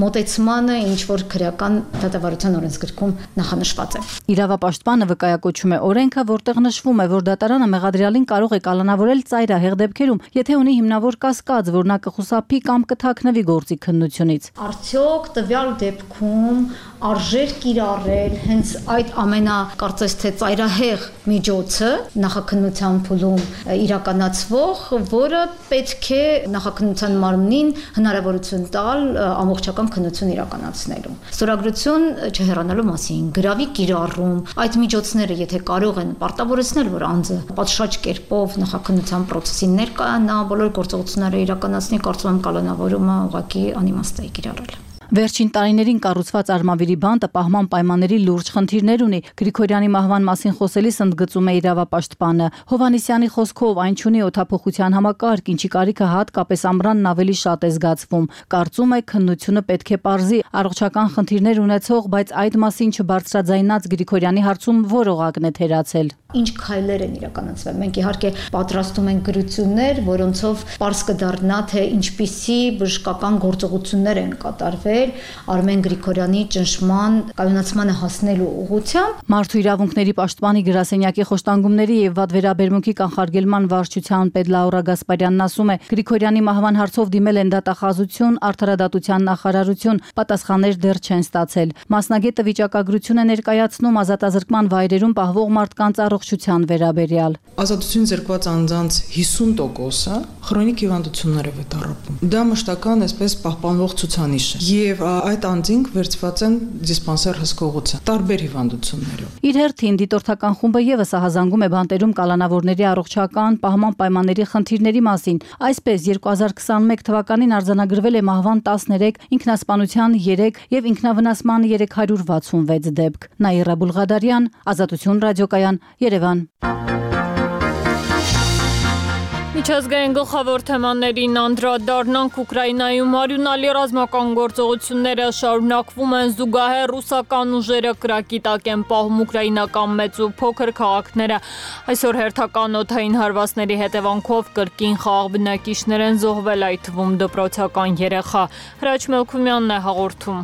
մոտեցմանը, ինչ որ քրեական դատավարության օրենսգրքում նախանշված է։ Իրավապաշտպանը վկայակոչում է օրենքը, որտեղ նշվում է, որ դատարանը մեղադրյալին կարող է կալանավորել ծայրահեղ դեպքերում, եթե ունի հիմնավոր կասկած, որ նա կխուսափի կամ կթաքնվի գործի քննությունից։ Արդյոք տվյալ դեպքում արժեր կիրառել հենց այդ ամենա կարծես թե ծայրահեղ միջոցը նախաքննության փուլում իրականացվող, որը պետք է նախաքննության մարմնին հնարավորություն տալ ամբողջական քննություն իրականացնելու։ Ստորագրություն չհեռանալու մասին, գրավի կիրառում, այդ միջոցները եթե կարող են պարտավորեցնել, որ անձը պատշաճ կերպով նախաքննության process-ին ներկայանա, բոլոր գործողությունները իրականացնի, կարծում եմ կալանավորումը ուղղակի անիմաստ է կիրառել։ Վերջին տարիներին կառուցված Արմավիրի բանտը պահման պայմանների լուրջ խնդիրներ ունի։ Գրիգորյանի մահվան մասին խոսելիս ընդգծում է իրավապաշտպանը։ Հովհաննիսյանի խոսքով այն չունի օդափոխության համակարգ, ինչի կարիքը հատկապես ամռանն ավելի շատ է զգացվում։ Կարծում է, քննությունը պետք է պարզի առողջական խնդիրներ ունեցող, բայց այդ մասին չբարձրաձայնած Գրիգորյանի հարցում որողակն է թերացել։ Ինչ քայլեր են իրականացվել։ Մենք իհարկե պատրաստում ենք գրություններ, որոնցով պարզ կդառնա, թե ինչպիսի բժշկական գործողություններ են կատարվել Արմեն Գրիգորյանի ճնշման կայունացմանը հասնելու ուղղությամբ։ Մարդու իրավունքների պաշտպանի գրասենյակի խոշտանգումների եւ վատ վերաբերմունքի կանխարգելման վարչության պետ Լաուրա Գասպարյանն ասում է, Գրիգորյանի մահվան հարցով դիմել են դատախազություն, արդարադատության նախարարություն, պատասխաններ դեռ չեն ստացել։ Մասնագետը վիճակագրություն է ներկայացնում ազատազրկման վայրերում պահվող մարդկանց առողջության վերաբերյալ։ Ազատություն զրկված անձանց հիսուն տոկոսը քրոնիկ հիվանդություններ է վետառապում։ Դա մշտական այսպես պահպանվող ցուցանիշ է եւ այդ անձինք վերցված են դիսպանսեր հսկողության տարբեր հիվանդություններով։ Իր հերթին դիտորդական խումբը եւս ահազանգում է բանտերում կալանավորների առողջական պահման պայմանների խնդիրների մասին։ Այսպես երկու հազար քսաներորդ թվականին արձանագրվել է մահվան տասներեք, ինքնասպանության երեք եւ ինքնավնասման երեք հարյուր վաթսունվեց դեպք։ Նաիրա Բուլղադարյան, Ազատություն ռադիոկայան, Երևան։ Միջազգային գլխավոր թեմաներին անդրադառնանք Ուկրաինայում արյունալի ռազմական գործողությունները շարունակվում են զուգահեռ ռուսական ուժերը կրակի տակ են պահում ուկրաինական մեծ ու փոքր քաղաքները։ Այսօր հերթական օդային հարվածների հետևանքով կրկին խաղաղ բնակիչներ են զոհվել, այդ թվում դպրոցական երեխա։ Հրաչ Մելքումյանն է հաղորդում։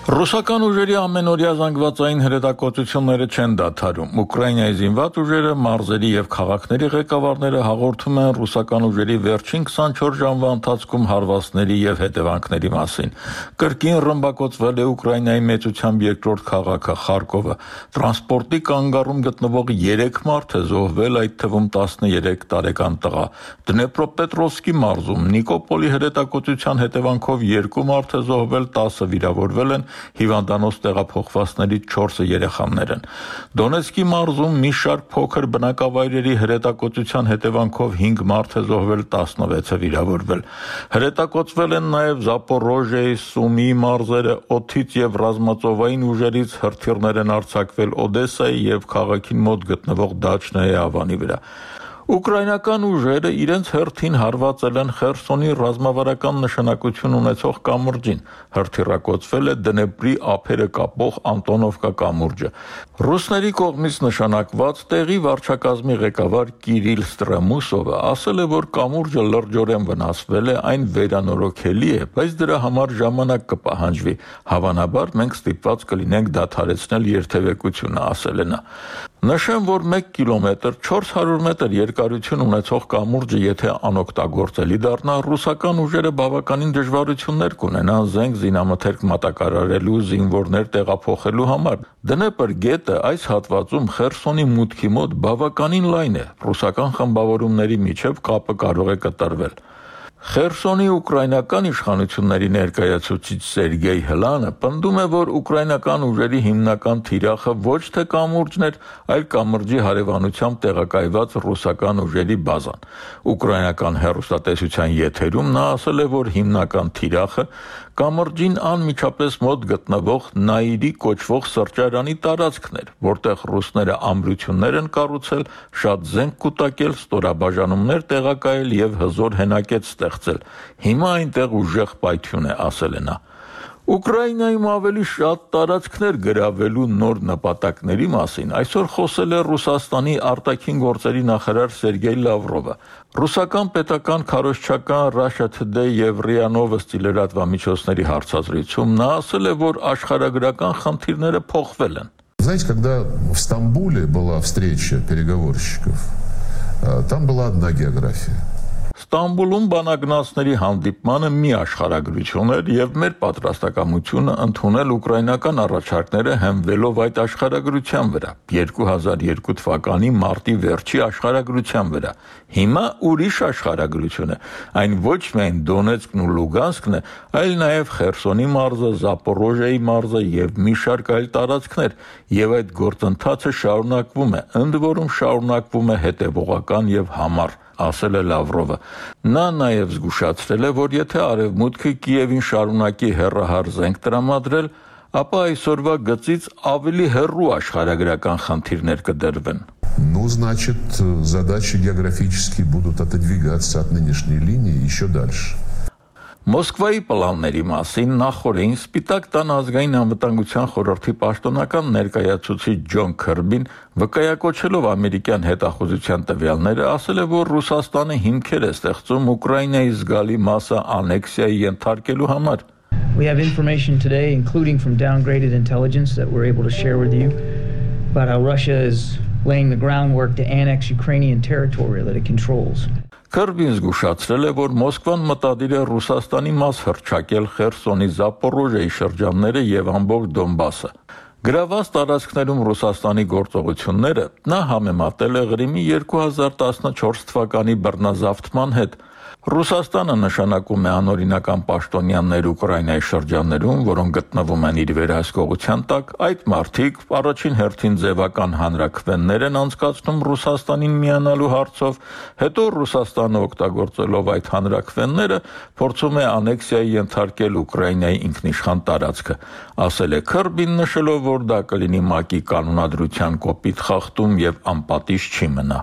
Ռուսական ուժերի ամենօրյա զանգվածային հրետակոծությունները չեն դադարում։ Ուկրաինայի զինված ուժերը, մարզերի եւ քաղաքների ղեկավարները հաղորդում են ռուսական ուժերի վերջին քսանչորս ժամվա ընթացքում հարվածների եւ հետևանքների մասին։ Կրկին ռմբակոծվել է Ուկրաինայի մեծությամբ երկրորդ քաղաքը Խարկովը։ Տրանսպորտի կանգառում գտնվող երեք մարդ է զոհվել, այդ թվում տասներեք տարեկան տղա։ Դնեպրոպետրովսկի մարզում Նիկոպոլի հրետակոծության հետևանքով երկու մարդ է զոհվել, տասը վիրավորվել են, հիվանդանոց տեղափոխվածներից չորսը երեխաներ են։ Դոնեցկի մարզում մի շարք փոքր բնակավայրերի հրետակոծության հետևանքով հինգ մարդ է զոհվել, տասնվեցը վիրավորվել։ Հրետակոծվել են նաև Զապորոժիայի, Սումի մարզերը, օդից եւ ռազմածովային ուժերից հրթիռներ են արձակվել Օդեսայի եւ քաղաքին մոտ գտնվող Դաչնայի ավանի վրա։ Ուկրաինական ուժերը իրենց հերթին հարվածել են Խերսոնի ռազմավարական նշանակություն ունեցող կամուրջին, հրթիռակոծվել է Դնեպրի ափերը կապող Անտոնովկա կամուրջը։ Ռուսների կողմից նշանակված տեղի վարչակազմի ղեկավար Կիրիլ Ստրեմուսովը ասել է, որ կամուրջը լրջորեն վնասվել է, այն վերանորոգելի է, բայց դրա համար ժամանակ կպահանջվի։ Հավանաբար մենք ստիպված կլինենք դադարեցնել երթևեկությունը, ասել է նա։ Նշեմ, որ մեկ կիլոմետր չորս հարյուր մետր երկարություն ունեցող կամուրջը եթե անօգտագործելի դառնա, ռուսական ուժերը բավականին դժվարություններ կունենան զենք զինամթերք մատակարարելու, զինվորներ տեղափոխելու համար։ Դնեպր գետը այս հատվածում Խերսոնի մուտքի մոտ բավականին լայն է, ռուսական խմբավորումների միջև կապը կարող է կտրվել։ Խերսոնի ուկրաինական իշխանությունների ներկայացուցիչ Սերգեյ Հլանը պնդում է, որ ուկրաինական ուժերի հիմնական թիրախը ոչ թե կամուրջն էր, այլ կամրջի հարևանությամբ տեղակայված ռուսական ուժերի բազան։ Ուկրաինական հեռուստատեսության եթերում նա ասել է, որ հիմնական թիրախը կամրջին անմիջապես մոտ գտնվող Նայիրի կոչվող սրճարանի տարածքն էր, որտեղ ռուսները ամրություններ են կառուցել, շատ զենք կուտակել, ստորաբաժանումներ տեղակայել եւ հզոր հենակետ ստեղծել։ Հիմա այնտեղ ուժեղ պայթյուն է, ասել է նա։ Ուկրաինայում ավելի շատ տարածքներ գրավելու նոր նպատակների մասին այսօր խոսել է Ռուսաստանի արտաքին գործերի նախարար Սերգեյ Լավրովը։ Ռուսական պետական քարոզչական Russia Today եւ րիա Novosti լրատվամիջոցների հարցազրույցում նա ասել է, որ աշխարհագրական խնդիրները փոխվել են։ Знаете, когда в Стамбуле была встреча переговорщиков, там была одна география. Ստամբուլում բանագնացների հանդիպմանը մի աշխարհագրություն էր եւ մեր պատրաստակամությունը ընդունել ուկրաինական առաջարկները հենվելով այդ աշխարհագրության վրա երկու հազար երկու թվականի մարտի վերջի աշխարհագրության վրա։ Հիմա ուրիշ աշխարհագրություն է, այն ոչ միայն Դոնեցկն ու Լուգանսկն է, այլ նաեւ Խերսոնի մարզը, Զապորոժիայի մարզը եւ մի շարք այլ տարածքներ, եւ այդ գործընթացը շարունակվում է, ընդ որում շարունակվում է հետեւողական եւ համառ, ասել է Լավրովը։ Նա նաև զգուշացրել է, որ եթե Արևմուտքը Կիևին շարունակի հեռահար զենք տրամադրել, ապա այսօրվա գծից ավելի հեռու աշխարհագրական խնդիրներ կդրվեն։ Ну, значит, задачи географически будут отодвигаться от нынешней линии еще дальше. Մոսկվայի պլանների մասին նախորդին Սպիտակ տան ազգային անվտանգության խորհրդի պաշտոնական ներկայացուցիչ Ջոն Քըրբին, վկայակոչելով ամերիկյան հետախուզության տվյալները, ասել է, որ Ռուսաստանը հիմքեր է ստեղծում Ուկրաինայի զգալի մասը անեքսիայի ենթարկելու համար։ We have information today, including from downgraded intelligence that we're able to share with you, about how Russia is laying the groundwork to annex Ukrainian territory that it controls. Քըրբին զգուշացրել է, որ Մոսկվան մտադիր է Ռուսաստանի մաս հռչակել Խերսոնի Զապորոժիայի շրջանները եւ ամբողջ Դոնբասը։ Գրաված տարածքներում Ռուսաստանի գործողությունները նա համեմատել է Ղրիմի երկու հազար տասնչորս թվականի բռնազավթման հետ։ Ռուսաստանը նշանակում է անօրինական պաշտոնյաներ Ուկրաինայի շրջաններում, որոնք գտնվում են իր վերահսկողության տակ, այդ մարդիկ առաջին հերթին ձևական հանրաքվեններ են անցկացնում Ռուսաստանին միանալու հարցով, հետո Ռուսաստանը օգտագործելով այդ հանրաքվենները փորձում է անեքսիայի ենթարկել Ուկրաինայի ինքնիշխան տարածքը, ասել է Քըրբին, նշելով, որ դա կլինի ՄԱԿ-ի կանոնադրության կոպիտ խախտում եւ անպատիժ չի մնա։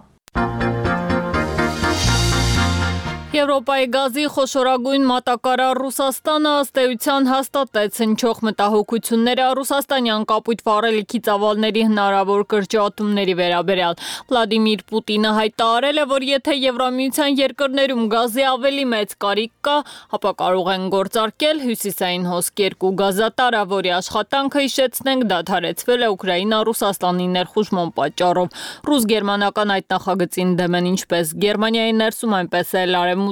Եվրոպայի գազի խոշորագույն մատակարար Ռուսաստանը ըստ էության հաստատեց հնչող մտահոգությունները ռուսաստանյան կապույտ վառելիքի ծավալների հնարավոր կրճատումների վերաբերյալ։ Վլադիմիր Պուտինը հայտարարել է, որ եթե Եվրամիության երկրներում գազի ավելի մեծ կարիք կա, ապա կարող են գործարկել Հյուսիսային հոսք երկու գազատարը, որի աշխատանքը, հիշեցնենք, դադարեցվել է Ուկրաինա-Ռուսաստանի ներխուժման պատճառով։ Ռուս-գերմանական այդ նախագծին դեմ են ինչպես Գերմանիայի ներսում, այնպես էլ արևմուտքում։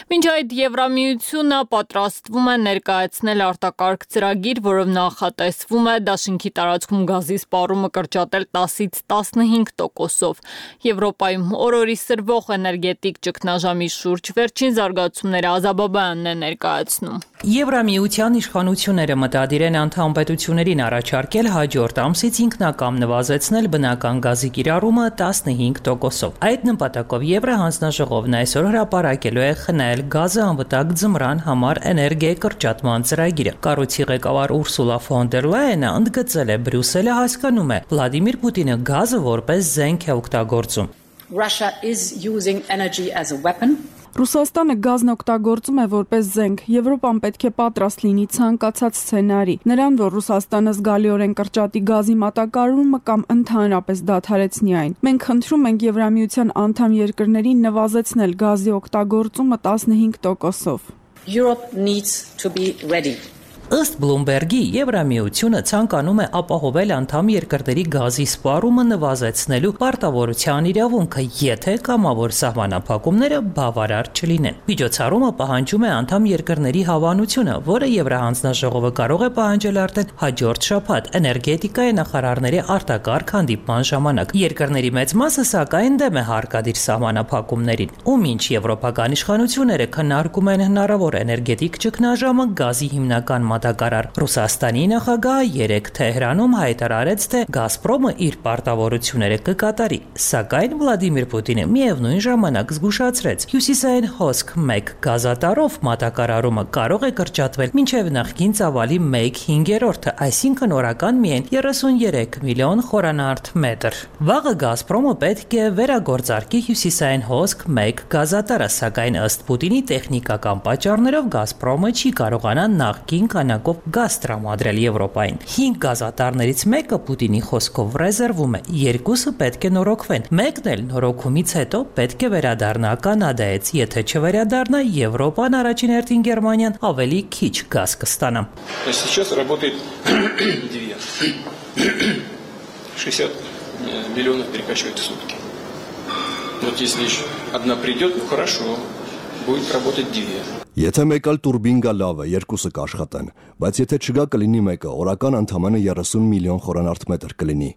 Մինչ այդ Եվրամիությունը պատրաստվում է ներկայացնել արտակարգ ծրագիր, որով նախատեսվում է դաշինքի տարածքում գազի սպառումը կրճատել տասից տասնհինգ տոկոսով։ Եվրոպայում օրորի սրվող էներգետիկ ճգնաժամի շուրջ վերջին զարգացումները Ազաբաբյանն է ներկայացնում։ Եվրամիության իշխանությունները մտադիր են անդամ պետություններին առաջարկել հաջորդ ամսից ինքնակամ նվազեցնել բնական գազի կիրառումը տասնհինգ տոկոսով։ Այդ նպատակով Եվրահանձնաժողովն այսօր հրապարակելու է խնել գազը անվտանգ ձմռան համար էներգիայի կրճատման ծրագիրը։ Կառույցի ղեկավար Ուրսուլա ֆոն դեր Լայենը ընդգծել է Բրյուսելը հասկանում է Վլադիմիր Պուտինը գազը որպես զենք է օգտագործում։ Russia is using energy as a weapon. Ռուսաստանը գազն օգտագործում է որպես զենք։ Եվրոպան պետք է պատրաստ լինի ցանկացած սցենարի։ Նրան, որ Ռուսաստանը զգալիորեն կրճատի գազի մատակարարումը կամ ընդհանրապես դադարեցնի այն։ Մենք խնդրում ենք Եվրամիության անդամ երկրներին նվազեցնել գազի օգտագործումը տասնհինգ տոկոսով։ Europe needs to be ready. Ըստ Բլումբերգի Եվրամիությունը ցանկանում է ապահովել անդամ երկրների գազի սպառումը նվազեցնելու պարտավորության իրավունքը, եթե կամավոր սահմանափակումները բավարար չլինեն։ Միջոցառումը պահանջում է անդամ երկրների հավանությունը, որը Եվրահանձնաժողովը կարող է պահանջել արդեն հաջորդ շաբաթ էներգետիկայի նախարարների արտակարգ հանդիպման ժամանակ։ Երկրների մեծ մասը սակայն դեմ է հարկադիր սահմանափակումներին, ու մինչ եվրոպական իշխանությունները քննարկում են հնարավոր էներգետիկ ճգնաժամը, գազի հիմնական մատակարար Ռուսաստանի նախագահը երեկ Թեհրանում հայտարարեց, թե Գազպրոմը իր պարտավորությունները կկատարի, սակայն Վլադիմիր Պուտինը միևնույն ժամանակ զգուշացրեց. Հյուսիսային հոսք մեկ գազատարով մատակարարումը կարող է կրճատվել մինչև նախկին ծավալի մեկ հինգերորդը, այսինքն օրական միայն երեսունյերեք միլիոն խորանարդ մետր։ Վաղը Գազպրոմը պետք է վերագործարկի հյուսիսային հոսք մեկ գազատարը, սակայն ըստ Պուտինի տեխնիկական պատճառներով Գազպրոմը չի կարողանա նախկին քանակով գազ տրամադրել Եվրոպային։ հինգ գազատարներից մեկը Պուտինի խոսքով ռեզերվում է, երկուսը պետք է норոգվեն։ Մեկն էլ նորոգումից հետո պետք է վերադառնա Կանադայից, եթե չվերադառնա, Եվրոպան, առաջին հերթին Գերմանիան ավելի քիչ գազ կստանա։ Сейчас работает две. шестьдесят миллионов перекачивает в сутки. Вот если одна придет, ну хорошо, будет работать две. Եթե մեկ էլ տուրբին գա լավ է, երկուսը կաշխատեն, բայց եթե չգա կլինի մեկը, օրական ընդամենը երեսուն միլիոն խորանարդ մետր կլինի։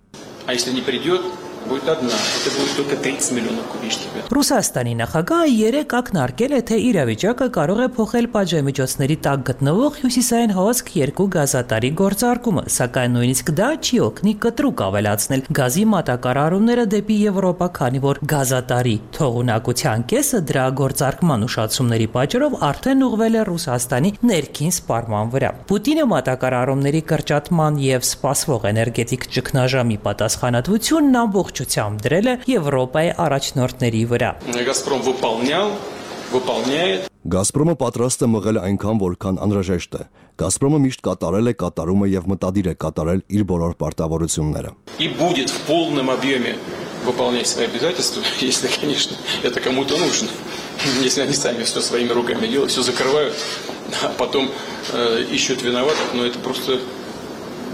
А если не придет, будет одна. Это будет только тридцать миллионов кубических метров. Ռուսաստանի նախագահը երեք ակնարկել է, թե իրավիճակը կարող է փոխել պատժամիջոցների տակ գտնվող հյուսիսային հոսք երկու գազատարի գործարկումը, սակայն նույնիսկ դա չի օգնի կտրուկ ավելացնել գազի մատակարարումները դեպի Եվրոպա, քանի որ գազատարի թողունակության կեսը դրա գործարկման ուշացումների պատճառով արդեն ուղղվել է Ռուսաստանի ներքին սպառման վրա։ Պուտինը մատակարարումների կրճատման եւ սպասվող էներգետիկ ճգնաժամի պատասխանատվությունն ամբողջությամբ դրել է Եվրոպայի առաջնորդների վրա։ «Газпром» выполнял, выполняет. «Գազպրոմը պատրաստ է մղել այնքան, որքան անհրաժեշտ է։ «Գազպրոմը» միշտ կատարել է, կատարում է եւ մտադիր է կատարել իր բոլոր պարտավորությունները։ И будет в полном объеме выполнять свои обязательства, если, конечно, это кому-то нужно. Если они сами все своими руками делают, все закрывают, а потом э, ищут виноватых, но это просто...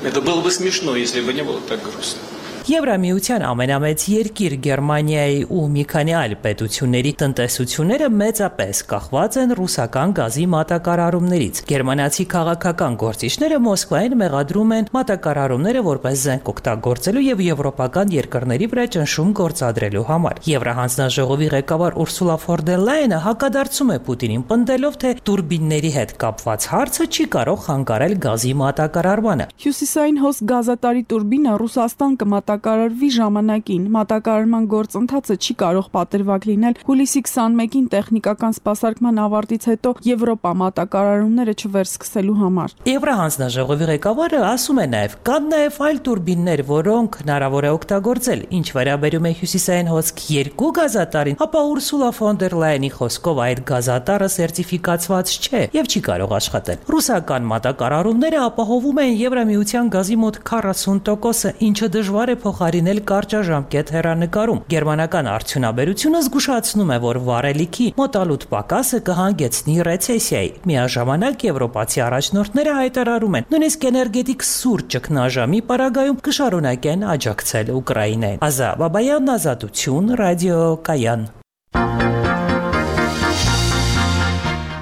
Это было бы смешно, если бы не было так грустно. Եվրամիության ամենամեծ երկիր Գերմանիայի ու մի քանի այլ պետությունների տնտեսությունները մեծապես կախված են ռուսական գազի մատակարարումներից։ Գերմանացի քաղաքական գործիչները Մոսկվային մեղադրում են մատակարարումները որպես զենք օգտագործելու եւ եվրոպական երկրների վրա ճնշում գործադրելու համար։ Եվրահանձնաժողովի ղեկավար Ուրսուլա ֆոն դեր Լայենը հակադարձում է Պուտինին, պնդելով, թե տուրբինների հետ կապված հարցը չի կարող խանգարել գազի մատակարարմանը։ Հյուսիսային հոսք գազատարի տուրբինը Ռուսաստան կմատակարարվի ժամանակին։ Մատակարարման գործընթացը չի կարող պատրվակ լինել հուլիսի քսանմեկին տեխնիկական սպասարկման ավարտից հետո Եվրոպա մատակարարումները չվերսկսելու համար։ Եվրահանձնաժողովի ղեկավարը ասում է նաև, կան նաև այլ տուրբիններ, որոնք հնարավոր է օգտագործել։ Ինչ վերաբերում է հյուսիսային հոսք երկու գազատարին, ապա Ուրսուլա ֆոն դեր Լայենի խոսքով այդ գազատարը սերտիֆիկացված չէ եւ չի կարող աշխատել։ Ռուսական մատակարարումները ապահովում են Եվրամիության գազի մոտ քառասուն տոկոսը, ինչը դժվար է փոխարինել կարճաժամկետ հեռանկարում։ Գերմանական արդյունաբերությունը զգուշացնում է, որ վառելիքի մոտալուտ պակասը կհանգեցնի ռեցեսիայի։ Միաժամանակ եվրոպացի առաջնորդները հայտարարում են, նույնիսկ էներգետիկ սուր ճգնաժամի պարագայում կշարունակեն աջակցել Ուկրաինային։ Ազա Բաբայան, Ազատություն, Ռադիո Կայան։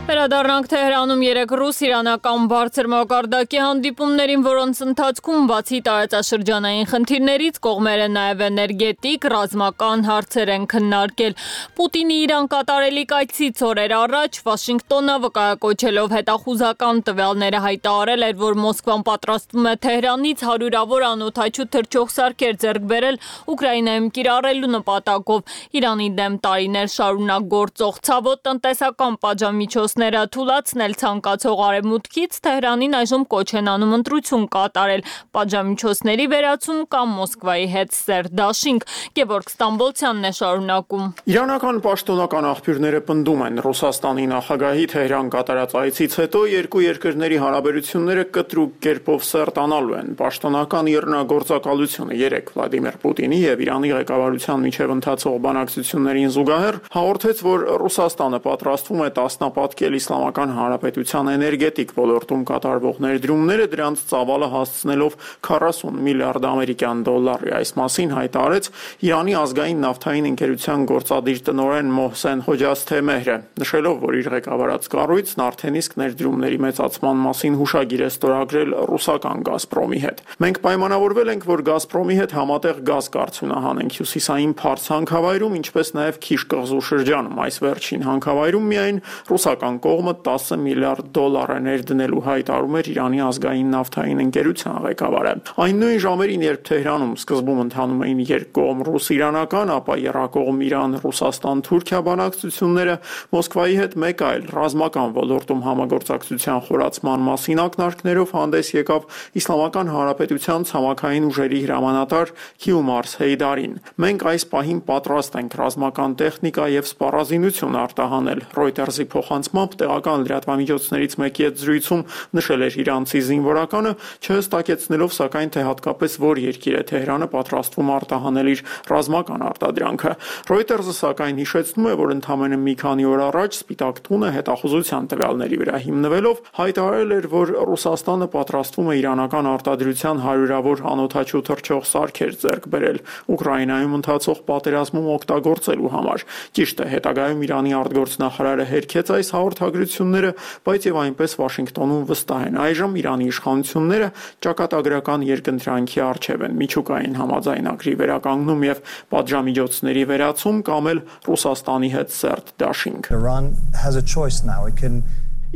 Վերադառնանք Թեհրանում երեք ռուս-իրանական բարձր մակարդակի հանդիպումներին, որոնց ընթացքում բացի տարածաշրջանային խնդիրներից կողմերը նաև էներգետիկ, ռազմական հարցեր են քննարկել։ Պուտինի Իրան կատարելիք այցից օրեր առաջ Վաշինգտոնը վկայակոչելով հետախուզական տվյալները հայտարարել էր, որ Մոսկվան պատրաստվում է Թեհրանից հարյուրավոր անօդաչու թռչող սարքեր ձեռք բերել Ուկրաինայում կիրառելու նպատակով։ Իրանի դեմ տարիներ շարունակ գործող ցավոտ տնտեսական պատժամիջոցները թուլացնել ցանկացող Արևմուտքից Թեհրանին այժմ կոչ են անում ընտրություն կատարել, պատժամիջոցների վերացում կամ Մոսկվայի հետ սեր դաշինք։ Գևորգ Ստամբոլցյանն է շարունակում։ Իրանական պաշտոնական աղբյուրները պնդում են, Ռուսաստանի նախագահի Թեհրան կատարած այցից հետո երկու երկրների հարաբերությունները կտրուկ կերպով սերտանալու են։ Պաշտոնական իռնագործակալությունը երեք Վլադիմիր Պուտինի եւ Իրանի ղեկավարության միջև ընթացող բանակցություններին զուգահեռ հաղորդեց, որ Ռուսաստանը պատրաստվում է տասնապատկել Իսլամական Հանրապետության էներգետիկ ոլորտում կատարվող ներդրումները, դրանց ծավալը հասցնելով քառասուն միլիարդ ամերիկյան դոլարի։ Այս մասին հայտարարեց Իրանի ազգային նավթային ընկերության գործադիր տնօրեն Մոհսեն Հոջասթեմեհրը, նշելով, որ իր ղեկավարած կառույցն արդեն իսկ ներդրումների մեծացման մասին հուշագիր է ստորագրել ռուսական Գազպրոմի հետ։ Մենք պայմանավորվել ենք, որ Գազպրոմի հետ համատեղ գազ կառուցունահանենք հյուսիսային Փարս հանքավայրում, ինչպես նաև Քիշ կղզու շրջանում։ Այս վերջին հանքավայրում միայն ռուսական կողմը տասը միլիարդ դոլար է ներդնելու, հայտարարում էր Իրանի ազգային նավթային ընկերության ղեկավարը։ Այն նույն ժամերին, երբ Թեհրանում սկզբում ընթանում էին երկկողմ ռուս-իրանական, ապա եռակողմ Իրան-Ռուսաստան-Թուրքիա բանակցությունները, Մոսկվայի հետ մեկ այլ ռազմական ոլորտում համագործակցության խորացման մասին ակնարկներով հանդես եկավ Իսլամական Հանրապետության ցամաքային ուժերի հրամանատար Քիումարս Հեյդարին։ Մենք այս պահին պատրաստ ենք ռազմական տեխնիկա եւ սպառազինություն արտահանել, Reuters-ի փոխանցմամբ տեղական լրատվամիջոցներից մեկի հետ զրույցում նշել էր իրանցի զինվորականը, չհստակեցնելով սակայն, թե հատկապես որ երկիր է Թեհրանը պատրաստվում արտահանել իր ռազմական արտադրանքը։ Reuters-ը սակայն հիշեցնում է, որ ընդամենը մի քանի օր առաջ Սպիտակ տունը հետախուզության տվյալների վրա հիմնվելով հայտարարել էր, որ Ռուսաստանը պատրաստվում է իրանական արտադրության հարյուրավոր անօդաչու թռչող սարքեր ձեռք բերել Ուկրաինայում ընթացող պատերազմում օգտագործելու համար։ Ճիշտ է, հետագայում Իրանի արտգործնախարարը հերքեց այս հաղորդարանը խորհրդագրությունները, բայց եւ այնպես Վաշինգտոնում վստահ են այժմ Իրանի իշխանությունները ճակատագրական երկընտրանքի առջև են միջուկային համաձայնագրի վերականգնում եւ պատժամիջոցների վերացում կամ էլ Ռուսաստանի հետ սերտ դաշինք։ Iran has a choice now. It can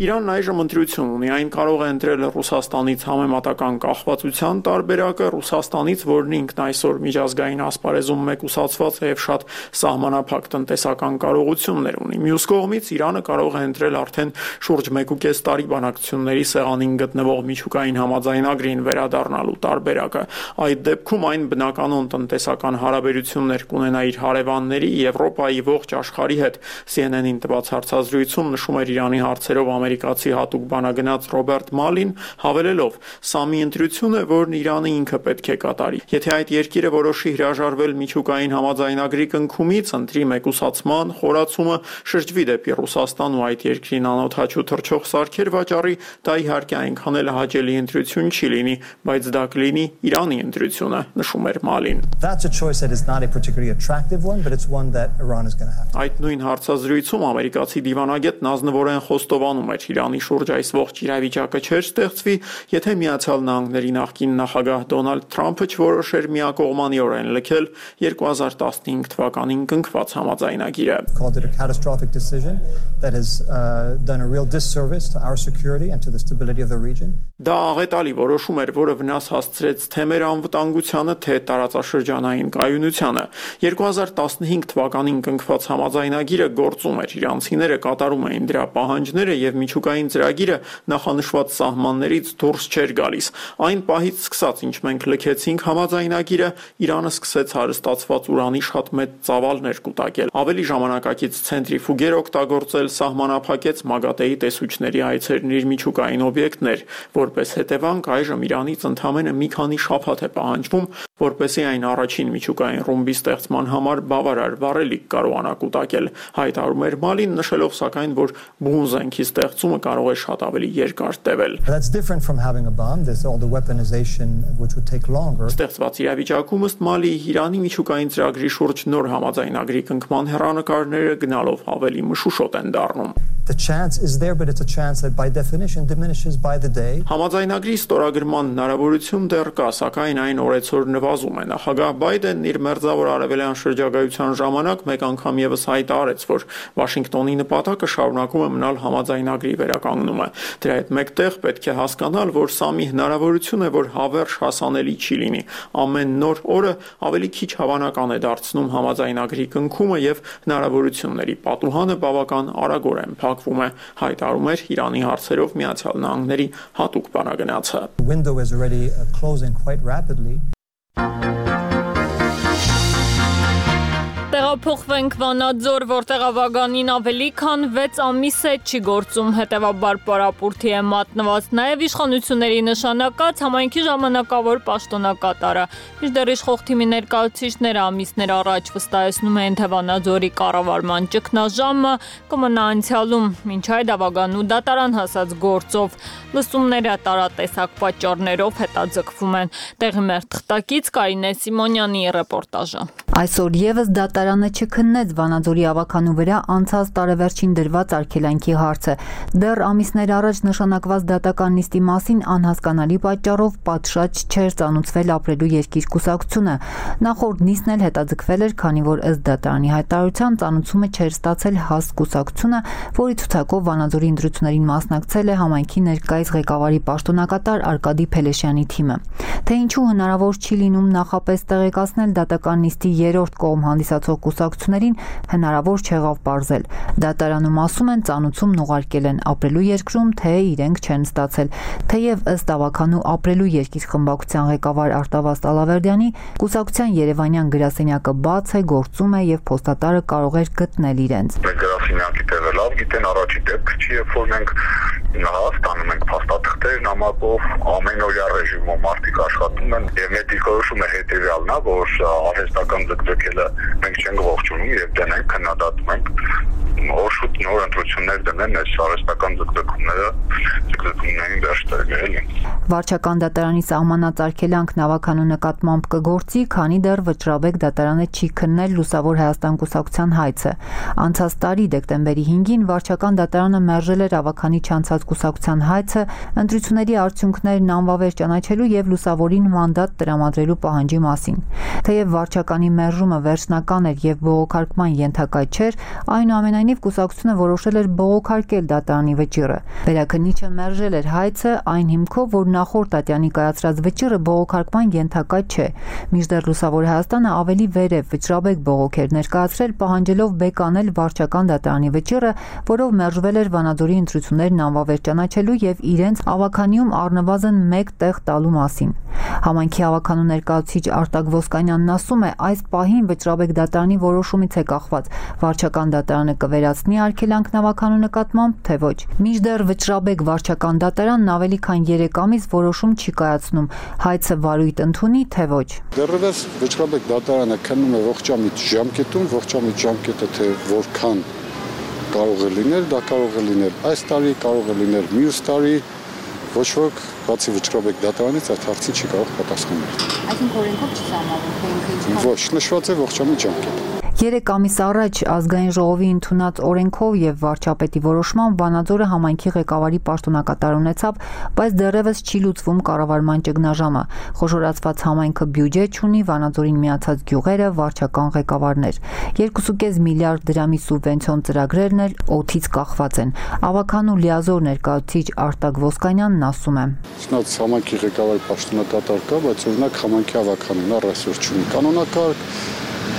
Իրանն այժմ ընտրություն ունի, այն կարող է ընտրել Ռուսաստանից համեմատական կախվածության տարբերակը, Ռուսաստանից, որն ինքն այսօր միջազգային ասպարեզում մեկուսացված է եւ շատ սահմանափակ տնտեսական կարողություններ ունի։ Մյուս կողմից Իրանը կարող է ընտրել արդեն շուրջ մեկ ու կես տարի բանակցությունների սեղանին գտնվող միջուկային համաձայնագրին վերադառնալու տարբերակը։ Այդ դեպքում այն բնականon տնտեսական հարաբերություններ կունենա իր հարևանների, Եվրոպայի ողջ աշխարհի հետ։ C N N-ին տված հարցազրույցում նշում էր Իրանի հարցերով ամերիկացի հատուկ բանագնաց Ռոբերտ Մալին, հավելելով. «Սա մի ընտրություն է, որն Իրանը ինքը պետք է կատարի։ Եթե այդ երկիրը որոշի հրաժարվել միջուկային համաձայնագրի կնքումից, ընտրի մեկուսացման խորացումը, շրջվի դեպի Ռուսաստան ու այդ երկրին անօդաչու թռչող սարքեր վաճառի, դա իհարկե այնքան էլ հաճելի ընտրություն չի լինի, բայց դա կլինի Իրանի ընտրությունը», նշում էր Մալին։ That's a choice that is not a particularly attractive one, but it's one that Iran is going to have. Այդ նույն հարցազրույցում ամերիկացի դիվանագետ Նազնվորեն խոստովանում էր Իրանի շուրջ այս ողջ իրավիճակը չէր ստեղծվի, եթե Միացյալ Նահանգների նախկին նախագահ Դոնալդ Թրամփը չորոշեր միակողմանիորեն լքել երկու հազար տասնհինգ թվականին կնքված համաձայնագիրը։ Called it a catastrophic decision that has uh, done a real disservice to our security and to the stability of the region. Դա աղետալի որոշում էր, որը վնաս հասցրեց թե մեր անվտանգությանը, թե տարածաշրջանային կայունությանը։ երկու հազար տասնհինգ թվականին կնքված համաձայնագիրը գործում էր, իրանցիները կատարում էին դրա պահանջները եւ միջուկային ծրագիրը նախանշված սահմաններից դուրս չէր գալիս։ Այն պահից սկսած, ինչ մենք լքեցինք համաձայնագիրը, Իրանը սկսեց հարստացված ուրանի շատ մեծ ծավալներ կուտակել։ Ավելի ժամանակակից ցենտրիֆուգեր օգտագործել, սահմանափակեց մագատեի տեսուչների այցերն իր միջուկային օբյեկտներ, որպես հետևանք այժմ Իրանից ընդամենը մի քանի շաբաթ է պահանջվում, որպեսզի այն առաջին միջուկային ռումբի ստեղծման համար բավարար վառելիք կարողանա կուտակել։ Հայտարարում էր Մալին, նշելով սակայն, որ բուն զենքի ստեղծումը կարող է շատ ավելի երկար տևել։ That's different from having a bomb. There's all the weaponization which would take longer. Ստեղծված իրավիճակում ըստ Մալի Իրանի միջուկային ծրագրի շուրջ նոր համաձայնագրի կնքման հեռանկարները գնալով ավելի մշուշոտ են դառնում։ The chance is there, but it's a chance that by definition diminishes by the day. Համաձայնագրի ստորագրման հնարավորություն դեռ կա, սակայն այն օրեցօր նվազում է։ Նախագահ Բայդենն իր մերձավոր արևելյան շրջագայության ժամանակ մեկ անգամ եւս հայտարարեց, որ Վաշինգտոնի նպատակը շարունակում է մնալ համաձայնագրի վերականգնումը։ Դրա հետ մեկտեղ պետք է հասկանալ, որ սա մի հնարավորություն է, որ հավերժ հասանելի չի լինի։ Ամեն նոր օրը ավելի քիչ հավանական է դարձնում համաձայնագրի կնքումը եւ հնարավորությունների պատուհանը բավական արագորեն փակվում է, հայտարարում էր Իրանի հարցերով Միացյալ Նահանգների հատուկ բանագնացը։ The window is already uh, closing quite rapidly. Տեղափոխվենք Վանաձոր, որտեղ ավագանին ավելի քան վեց ամիս է չի գործում, հետևաբար պարապուրդի է մատնված նաև իշխանությունների նշանակած համայնքի ժամանակավոր պաշտոնակատարը։ Մինչդեռ իշխող թիմի ներկայացուցիչները ամիսներ առաջ վստահեցնում էին, թե Վանաձորի կառավարման ճգնաժամը կմնա անցյալում, մինչ այդ ավագանու դատարան հասած գործով լսումները տարատեսակ պատճառներով հետաձգվում են։ Տեղի մեր թղթակից Կարինե Սիմոնյանի ռեպորտաժը։ Այսօր եւս դատարանը չքննեց Վանաձորի ավագանու վրա անցած տարեվերջին դրված արգելանքի հարցը։ Դեռ ամիսներ առաջ նշանակված դատական նիստի մասին անհասկանալի պատճառով պատշաճ չէր ծանուցվել ապրելու երկիր կուսակցությունը։ Նախորդ նիստն էլ հետաձգվել էր, քանի որ ըստ դատարանի հայտարարության ծանուցումը չէր ստացել ՀԱՍ կուսակցությունը, որի ցուցակով Վանաձորի ընտրություններին մասնակցել է համայնքի ներկայիս ղեկավարի պաշտոնակատար Արկադի Փելեշյանի թիմը։ Թե ինչու հնարավոր չի լինում նախապես տեղեկացնել դատական նիստի երրորդ կողմ հանդիսացող կուսակցություններին, հնարավոր չեղավ պարզել։ Դատարանում ասում են, ծանուցումն ուղարկել են ապրելու երկրում, թե իրենք չեն ստացել։ Թեև ըստ ավագանու ապրելու երկիր խմբակցության ղեկավար Արտավազդ Ալավերդյանի, կուսակցության երևանյան գրասենյակը բաց է, գործում է եւ փոստատարը կարող էր գտնել իրենց։ Մենք գրասենյակի տեղը լավ գիտեն, առաջի դեպք չի, երբ որ մենք Հա, ստանում ենք փաստաթղթեր, նամակով, ամենօրյա ռեժիմով մարդիկ աշխատում են եւ մեր դիրքորոշումը հետեւյալն է, որ արհեստական ձգձգելը մենք չենք ողջունում եւ դենենք քննադատում ենք օշուտ նոր ընտրություններ դնեն այս արհեստական ձգձգումները ձգձգումներին վերջ տվել։ Վարչական դատարանի սահմանած արգելանք նավականու նկատմամբ կգործի, քանի դեռ Վճռաբեկ դատարանը չի քննել Լուսավոր Հայաստան կուսակցության հայցը։ Անցած տարի դեկտեմբերի հինգին վարչական դատարանը մերժել էր ավականի չանցած կուսակցության հայցը ընտրությունների արդյունքներն անվավեր ճանաչելու եւ Լուսավորին մանդատ տրամադրելու պահանջի մասին։ Թեև վարչականի մերժումը վերջնական էր եւ բողոքարկման ենթակա չէր, այնուամենայնիվ կուսակցությունը որոշել էր բողոքարկել դատարանի վճիռը։ Վերաքննիչը մերժել էր հայցը այն հիմքով, որ նախորդ ատյանի կայացրած վճիռը բողոքարկման ենթակա չէ։ Մինչդեռ Լուսավոր Հայաստանը ավելի վերև Վճռաբեկ բողոք էր ներկայացրել, պահանջելով բեկանել վարչական դատարանի վճիռը, որով մերժվել էր Վանաձորի ընտրություններն անվավեր ճանաչելու եւ իրենց ավականիում առնվազն մեկ տեղ տալու մասին։ Համայնքի ավականու ներկայացուցիչ Արտակ Ոսկանյանն ասում է, այս պահին Վճռաբեկ դատարանի որոշումից է կախված վարչական դատարանը կվերացնի արգելանք նավականու նկատմամբ, թե ոչ։ Մինչդեռ Վճռաբեկ վարչական դատարանն ավելի քան երեք ամիս որոշում չի կայացնում, հայցը վարույթ ընդունի, թե ոչ։ Դեռևս Վճռաբեկ դատարանը քննում է ողջամիտ ժամկետում, ողջամիտ ժամկետը թե որքան կարող է լինել, դա կարող է լինել այս տարի, կարող է լինել մյուս տարի, ոչ ոք բացի Վճռաբեկ դատարանից այդ հարցին չի կարող պատասխանել։ Այսինքն օրենքով չի սահմանվում, թե ինքը ինչ։ Ոչ, նշված է ողջամիտ ժամկետ։ Երեք ամիս առաջ ազգային ժողովի ընդունած օրենքով եւ վարչապետի որոշմամբ Վանաձորը համայնքի ղեկավարի պաշտոնակատար ունեցավ, բայց դեռևս չի լուծվում կառավարման ճգնաժամը։ Խոշորացված համայնքը բյուջե չունի, Վանաձորին միացած գյուղերը վարչական ղեկավարներ։ երկու կողմը միլիարդ դրամի սուբվենցիոն ծրագրերն էլ օդից կախված են։ Ավականու լիազոր ներկայացուցիչ Արտակ Ոսկանյանն ասում է. Չնայած համայնքի ղեկավարի պաշտոնակատար կա, բայց օրինակ համայնքի ավականին առ այսօր չունի կանոնակարգ,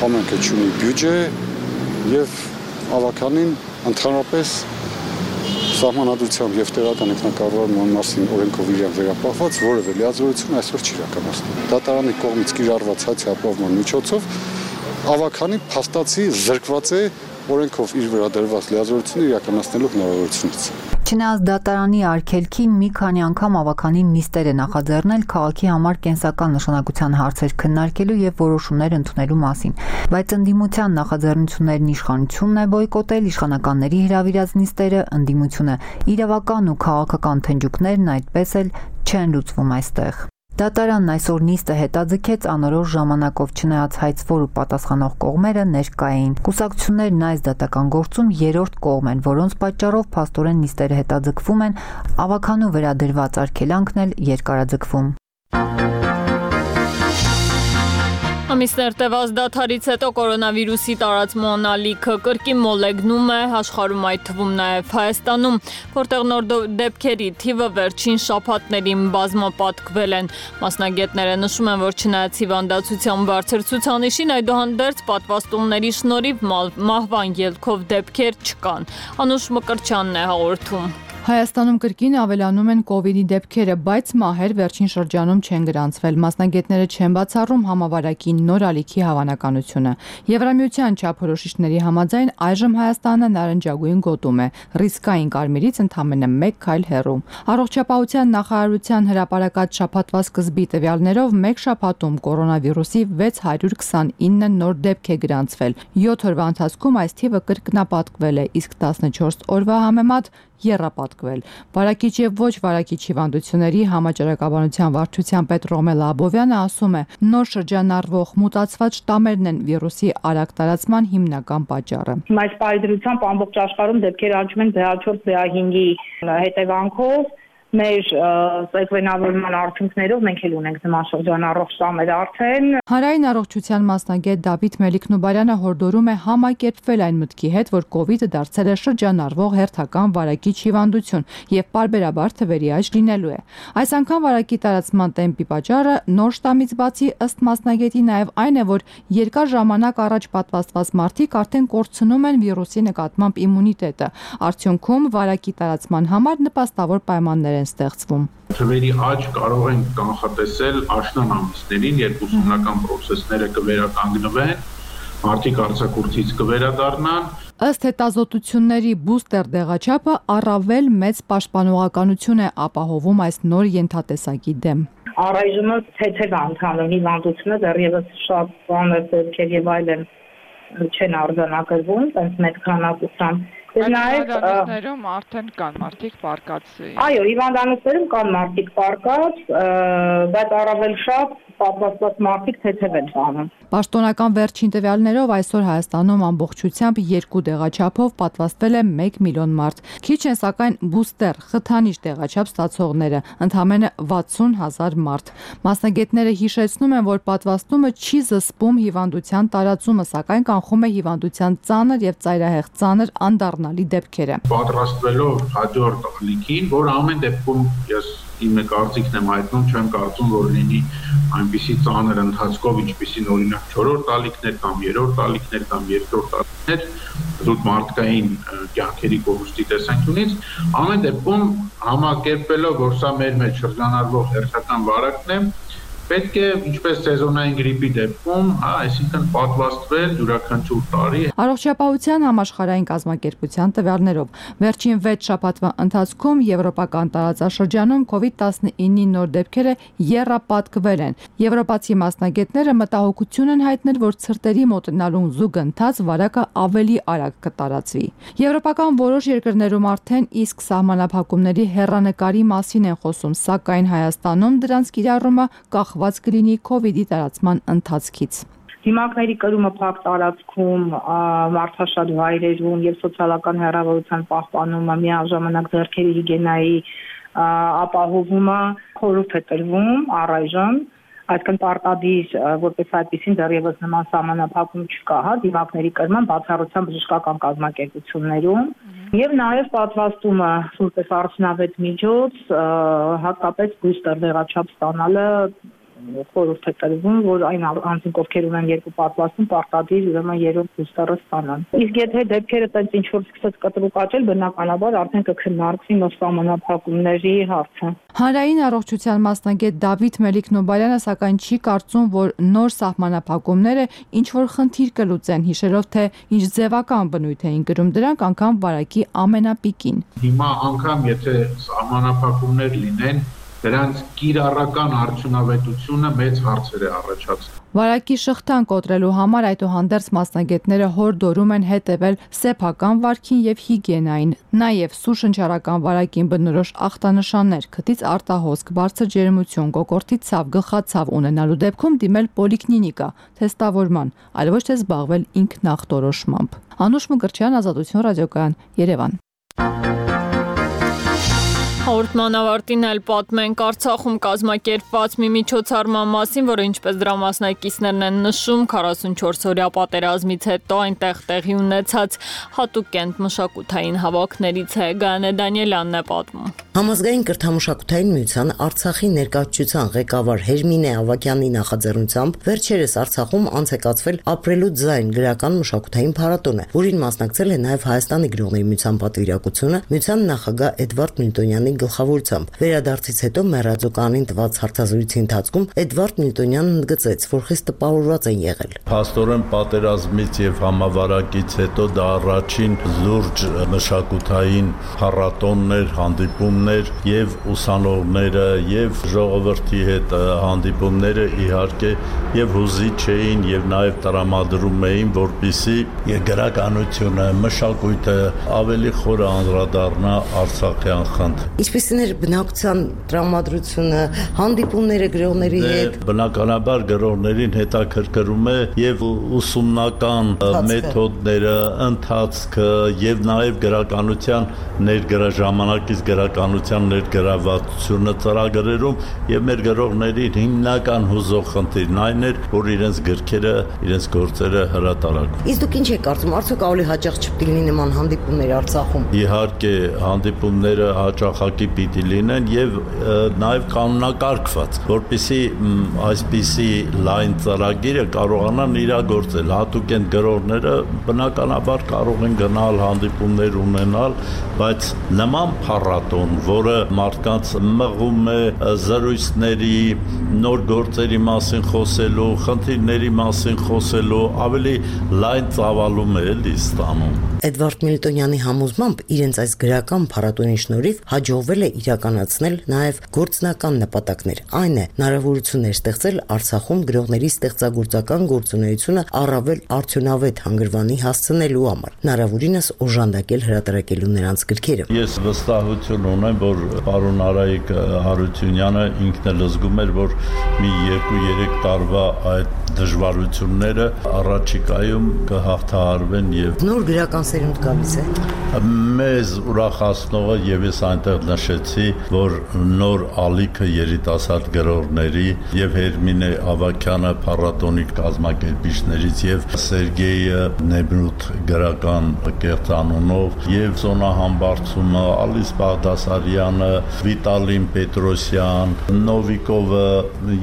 համայնքը չունի բյուջե եւ ավականին ընդհանրապես սահմանադրությամբ եւ տեղական ինքնակառավարման մասին օրենքով իրեն վերապահված որևէ լիազորություն այսօր չի իրականացնում։ Դատարանի կողմից կիրառված հայցի ապահովման միջոցով ավականին փաստացի զրկված է օրենքով իր վերադրված լիազորությունը իրականացնելու հնարավորությունից։ Չնայած դատարանի արգելքին մի քանի անգամ ավականին նիստեր է նախաձեռնել քաղաքի համար կենսական նշանակության հարցեր քննարկելու եւ որոշումներ ընդունելու մասին, բայց ընդդիմության նախաձեռնություններն իշխանությունն է բոյկոտել, իշխանականների հրավիրած նիստերը ընդդիմությունը, իրավական ու քաղաքական թնջուկներն այդպես էլ չեն լուծվում այստեղ։ Դատարանն այսօր նիստը հետաձգեց անորոշ ժամանակով, չնայած հայցվոր ու պատասխանող կողմերը ներկա էին։ Կուսակցություններն այս դատական գործում երրորդ կողմ են, որոնց պատճառով փաստորեն նիստերը հետաձգվում են, ավականու վերադրված արգելանքն էլ երկարաձգվում։ Ամիսներ տևած դադարից հետո կորոնավիրուսի տարածման ալիքը կրկին մոլեգնում է աշխարհում, այդ թվում նաև Հայաստանում, որտեղ նոր դեպքերի թիվը վերջին շաբաթներին բազմապատկվել են։ Մասնագետները նշում են, որ չնայած հիվանդացության բարձր ցուցանիշին, այդուհանդերձ պատվաստումների շնորհիվ մահվան ելքով դեպքեր չկան։ Անուշ Մկրտչյանն է հաղորդում։ Հայաստանում կրկին ավելանում են կովիդի դեպքերը, բայց մահեր վերջին շրջանում չեն գրանցվել։ Մասնագետները չեն բացառում համավարակի նոր ալիքի հավանականությունը։ Եվրամիության չափորոշիչների համաձայն այժմ Հայաստանը նարնջագույն գոտում է, ռիսկային կարմիրից ընդամենը մեկ քայլ հեռու։ Առողջապահության նախարարության հրապարակած շաբաթվա սկզբի տվյալներով մեկ շաբաթում կորոնավիրուսի վեց հարյուր քսանինը նոր դեպք է գրանցվել։ յոթ օրվա ընթացքում այս թիվը կրկնապատկվել է, իսկ տասնչորս օրվա համեմատ եռապատկվել։ Վարակիչ եւ ոչ վարակիչ հիվանդությունների համաճարակաբանության վարչության պետ Ռոմելա Աբովյանը ասում է, նոր շրջանառվող մուտացված շտամերն են վիրուսի արագ տարածման հիմնական պատճառը։ Այս պարդրությամբ ամբողջ աշխարհում դեպքեր աճում են բի ա չորս բի ա հինգի հետևանքով։ Մեր սեկվենավորման արդյունքներով մենք էլ ունենք նման շրջանառող շտամեր արդեն։ Հանրային առողջության մասնագետ Դավիթ Մելիք-Նուբարյանը հորդորում է համակերպվել այն մտքի հետ, որ կովիդը դարձել է շրջանառվող հերթական վարակիչ հիվանդություն եւ պարբերաբար թվերի աճ լինելու է։ Այս անգամ վարակի տարածման տեմպի պատճառը նոր շտամից բացի ըստ մասնագետի նաեւ այն է, որ երկար ժամանակ առաջ պատվաստված մարդիկ արդեն կորցնում են վիրուսի նկատմամբ իմունիտետը։ Արդյունքում վարակի տարածման համար նպաստավոր պայմաններ ստեղծվում։ Թվերի աճ կարող են կանխատեսել աշնան ամիսներին, երբ ուսումնական process-ները կվերականգնվեն, մարդիկ արձակուրդից կվերադառնան։ Ըստ հետազոտությունների բուստեր դեղաչափը առավել մեծ պաշտպանողականություն է ապահովում այս նոր ենթատեսակի դեմ։ Առայժմ թեթև անդամների հիվանդությունը դեռևս շատ բաներ դեպքեր եւ այլն չեն արձանագրվում, այնպես մեծ քանակությամբ։ Հիվանդանոցներում արդեն կան մարդիկ պարկած։ Այո, հիվանդանոցներում կան մարդիկ պարկած, բայց առավել շատ պատվաստված մարդիկ թեթև են տանում։ Պաշտոնական վերջին տվյալներով այսօր Հայաստանում ամբողջությամբ երկու դեղաչափով պատվաստվել է մեկ միլիոն մարդ։ Քիչ են սակայն բուստեր, խթանիչ դեղաչափ ստացողները, ընդամենը վաթսուն հազար մարդ։ Մասնագետները հիշեցնում են, որ պատվաստումը չի զսպում հիվանդության տարածումը, սակայն կանխում է հիվանդության ծանր եւ ծայրահեղ ծանր անդառնալի դեպքերը։ Պատրաստվելով հաջորդ ալիքին, որ ամեն դեպքում ես իմ կարծիքն եմ հայտնում, չեմ կարծում, որ լինի այնպիսի ծանր ընթացքով, ինչպիսին օրինակ չորրորդ ալիքներ կամ երրորդ ալիքներ կամ երկրորդ ալիքներ, զուտ մարդկային կյանքերի կորուստի տեսանկյունից, ամեն դեպքում համակերպելով, որ սա մեր մեջ շրջանառվող հերթական վարակն է, պետք է ինչպես սեզոնային գրիպի դեպքում, հա, այսինքն պատվաստվել յուրաքանչյուր տարի։ Առողջապահության համաշխարհային կազմակերպության տվյալներով վերջին վեց շաբաթվա ընթացքում եվրոպական տարածաշրջանում կովիդ տասնինի նոր դեպքերը եռապատկվել են։ Եվրոպացի մասնագետները մտահոգություն են հայտնել, որ ցրտերի մոտենալուն զուգընթաց վարակը ավելի արագ կտարածվի։ Եվրոպական որոշ երկրներում արդեն իսկ սահմանափակումների հեռանկարի մասին են խոսում, սակայն Հայաստանում դրանց կիրառումը կախված կլինի կովիդի տարածման ընթացքից։ Դիմակների կրումը փակ տարածքում, մարդաշատ վայրերում եւ սոցիալական հեռավորության պահպանումը, միաժամանակ ձեռքերի հիգիենայի ապահովումը խորհուրդ է տրվում առայժմ, այսինքն պարտադիր որպես այդպեսին դեռևս նման սահմանափակում չկա, հա, դիմակների կրման բացառությամբ բժշկական կազմակերպություններում եւ նաեւ պատվաստումը որպես արդյունավետ միջոց, հատկապես բուստեր դեղաչափ ստանալը խորհուրդ է տրվում, որ այն անձինք, ովքեր ունեն երկու պատվաստում, պարտադիր ուրեմն երրորդ բուստերը ստանան։ Իսկ եթե դեպքերը տենց ինչ որ սկսեց կտրուկ աճել, բնականաբար արդեն կքննարկվի նոր սահմանափակումների հարցը։ Հանրային առողջության մասնագետ Դավիթ Մելիք-Նոբարյանը սակայն չի կարծում, որ նոր սահմանափակումները ինչ որ խնդիր կլուծեն, հիշելով թե ինչ ձևական բնույթ էին կրում դրանք անգամ վարակի ամենապիկին։ Հիմա անգամ եթե սահմանափակումներ լինեն, դրանց կիրառական արդյունավետությունը մեծ հարցեր է առաջացնում։ Վարակի շղթան կոտրելու համար այդուհանդերձ մասնագետները հորդորում են հետևել սեփական վարքին եւ հիգիենային, նաեւ սուշնչարական վարակին բնորոշ ախտանշաններ, քթից արտահոսք, բարձր ջերմություն, կոկորդի ցավ, գլխացավ ունենալու դեպքում դիմել պոլիկլինիկա, թեստավորման, այլ ոչ թե զբաղվել ինքնախտորոշմամբ։ Անուշ Մկրտչյան, Ազատություն ռադիոկայան, Երևան։ Հաղորդման ավարտին էլ պատմենք Արցախում կազմակերպված մի միջոցառման մասին, որը ինչպես դրա մասնակիցներն են նշում, քառասունչորս օրյա պատերազմից հետո այնտեղ տեղի ունեցած հատուկ կենտ մշակութային հավաքներից է։ Գայանե Դանիելյանն է պատմում։ Համազգային կրթամշակութային միության Արցախի ներկայացության ղեկավար Հերմինե Ավակյանի նախաձեռնությամբ վերջերս Արցախում անց է կացվել Ապրելու ձայն գրական մշակութային փառատոնը, որին մասնակցել է նաև Հայաստանի գրողների միության պատվիրակությունը, միության նախագահ Էդվարդ Միլտոնյանի գլխավորությամբ։ Վերադարձից հետո մեռածոկանին տված հարցազրույցի ընթացքում Էդվարդ Միլտոնյանն ընդգծեց, որ խիստ տպավորված են եղել։ Փաստորեն պատերազմից եւ համավարակից հետո դա առաջին լուրջ մշակութային փառատոններ, հանդիպումներ եւ ուսանողները եւ ժողովրդի հետ հանդիպումները իհարկե եւ հուզիչ էին եւ նաեւ տրամադրում էին, որպիսի գրականությունը, մշակույթը ավելի խորը անդրադառնա Արցախյան խնդրին։ Ինչպիսին էր բնակության տրամադրությունը, հանդիպումները գրողների հետ։ Բնականաբար գրողներին հետաքրքրում է եւ ուսումնական մեթոդները, ընթացքը եւ նաեւ գրականության ներգրա ժամանակից գրականության ներգրավվածությունը ծրագրերում եւ մեր գրողների հիմնական հուզող խնդիրն այն էր, որ իրենց գրքերը, իրենց գործերը հրատարակվեն։ Իսկ դուք ինչ եք կարծում, արդյոք ավելի հաճախ չպիտի լինի նման հանդիպումներ Արցախում։ Իհարկե, հանդիպումները հաճախակի պիտի լինեն եւ նաեւ կանոնակարգված, որպեսզի այսպիսի լայն ծրագիրը կարողանան իրագործել։ Հատուկ են գրողները բնականաբար կարող են գնալ հանդիպումներ ունենալ, բայց նման փառատոն, որը մարդկանց մղում է զրույցների, նոր գործերի մասին խոսելու, խնդիրների մասին խոսելու, ավելի լայն ծավալում է էլի ստանում։ Էդվարդ Միլտոնյանի համոզմամբ իրենց այս գրական փառատոնի շնորհիվ հաջողվել է իրականացնել նաև գործնական նպատակներ, այն է հնարավորություններ ստեղծել Արցախում գրողների ստեղծագործական գործունեությունը առավել արդյունավետ հանգրվանի հասցնելու համար, հնարավորինս օժանդակել հրատարակելու նրանց գրքերը։ Ես վստահություն ունեմ, որ պարոն Արայիկ Հարությունյանը ինքն էլ զգում էր, որ մի երկու-երեք տարվա այդ դժվարությունները առաջիկայում կհաղթահարվեն եւ նոր գրական սերունդ գալիս է։ Մեզ ուրախացնողը եւ ես այնտեղ նշեցի, որ նոր ալիքը երիտասարդ գրողների եւ Հերմինե Ավագյանը փառատոնի կազմակերպիչներից եւ Սերգեյ Նեբրութ գրական կերտանունով եւ Զոնա Համբարձումը, Ալիս Բաղդասարյանը, Վիտալին Պետրոսյան, Նովիկովը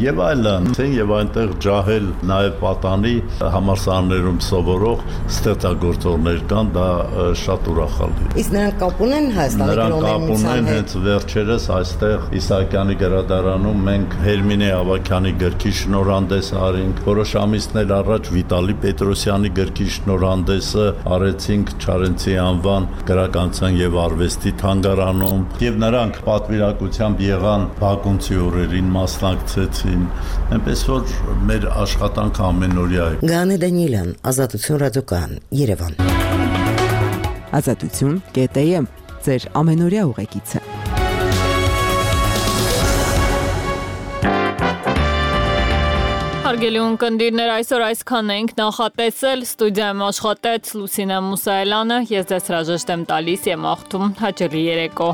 եւ այլն, եւ այնտեղ ջահել նաև պատանի համալսարաններում սովորող ստեղծագործողներ կան, դա շատ ուրախալի է։ Իսկ նրանք կապ ունեն Հայաստանի գրողների միության հետ։ Նրանք կապ ունեն, հենց վերջերս այստեղ Իսահակյանի գրադարանում մենք Հերմինե Ավագյանի գրքի շնորհանդես արինք, որոշ ամիսներ առաջ Վիտալի Պետրոսյանի գրքի շնորհանդեսը արեցինք Չարենցի անվան գրականության եւ արվեստի թանգարանում, եւ նրանք պատվիրակությամբ եղան Բաքունցի օրերին մասնակցեցին, այնպես որ մեր աշխատանքը ամենօրյա է։ Գանե Դանիելյան, Ազատություն ռադիոկայան, Երևան։ Ազատություն կետ է եմ, ձեր ամենօրյա ուղեկիցը։ Հարգելի ունկնդիրներ, այսօր այսքան ենք նախատեսել, ստուդիայում աշխատեց Լուսինե Մուսայելյանը, ես ձեզ հրաժեշտ եմ տալիս եւ աղթում հաճելի երեկո։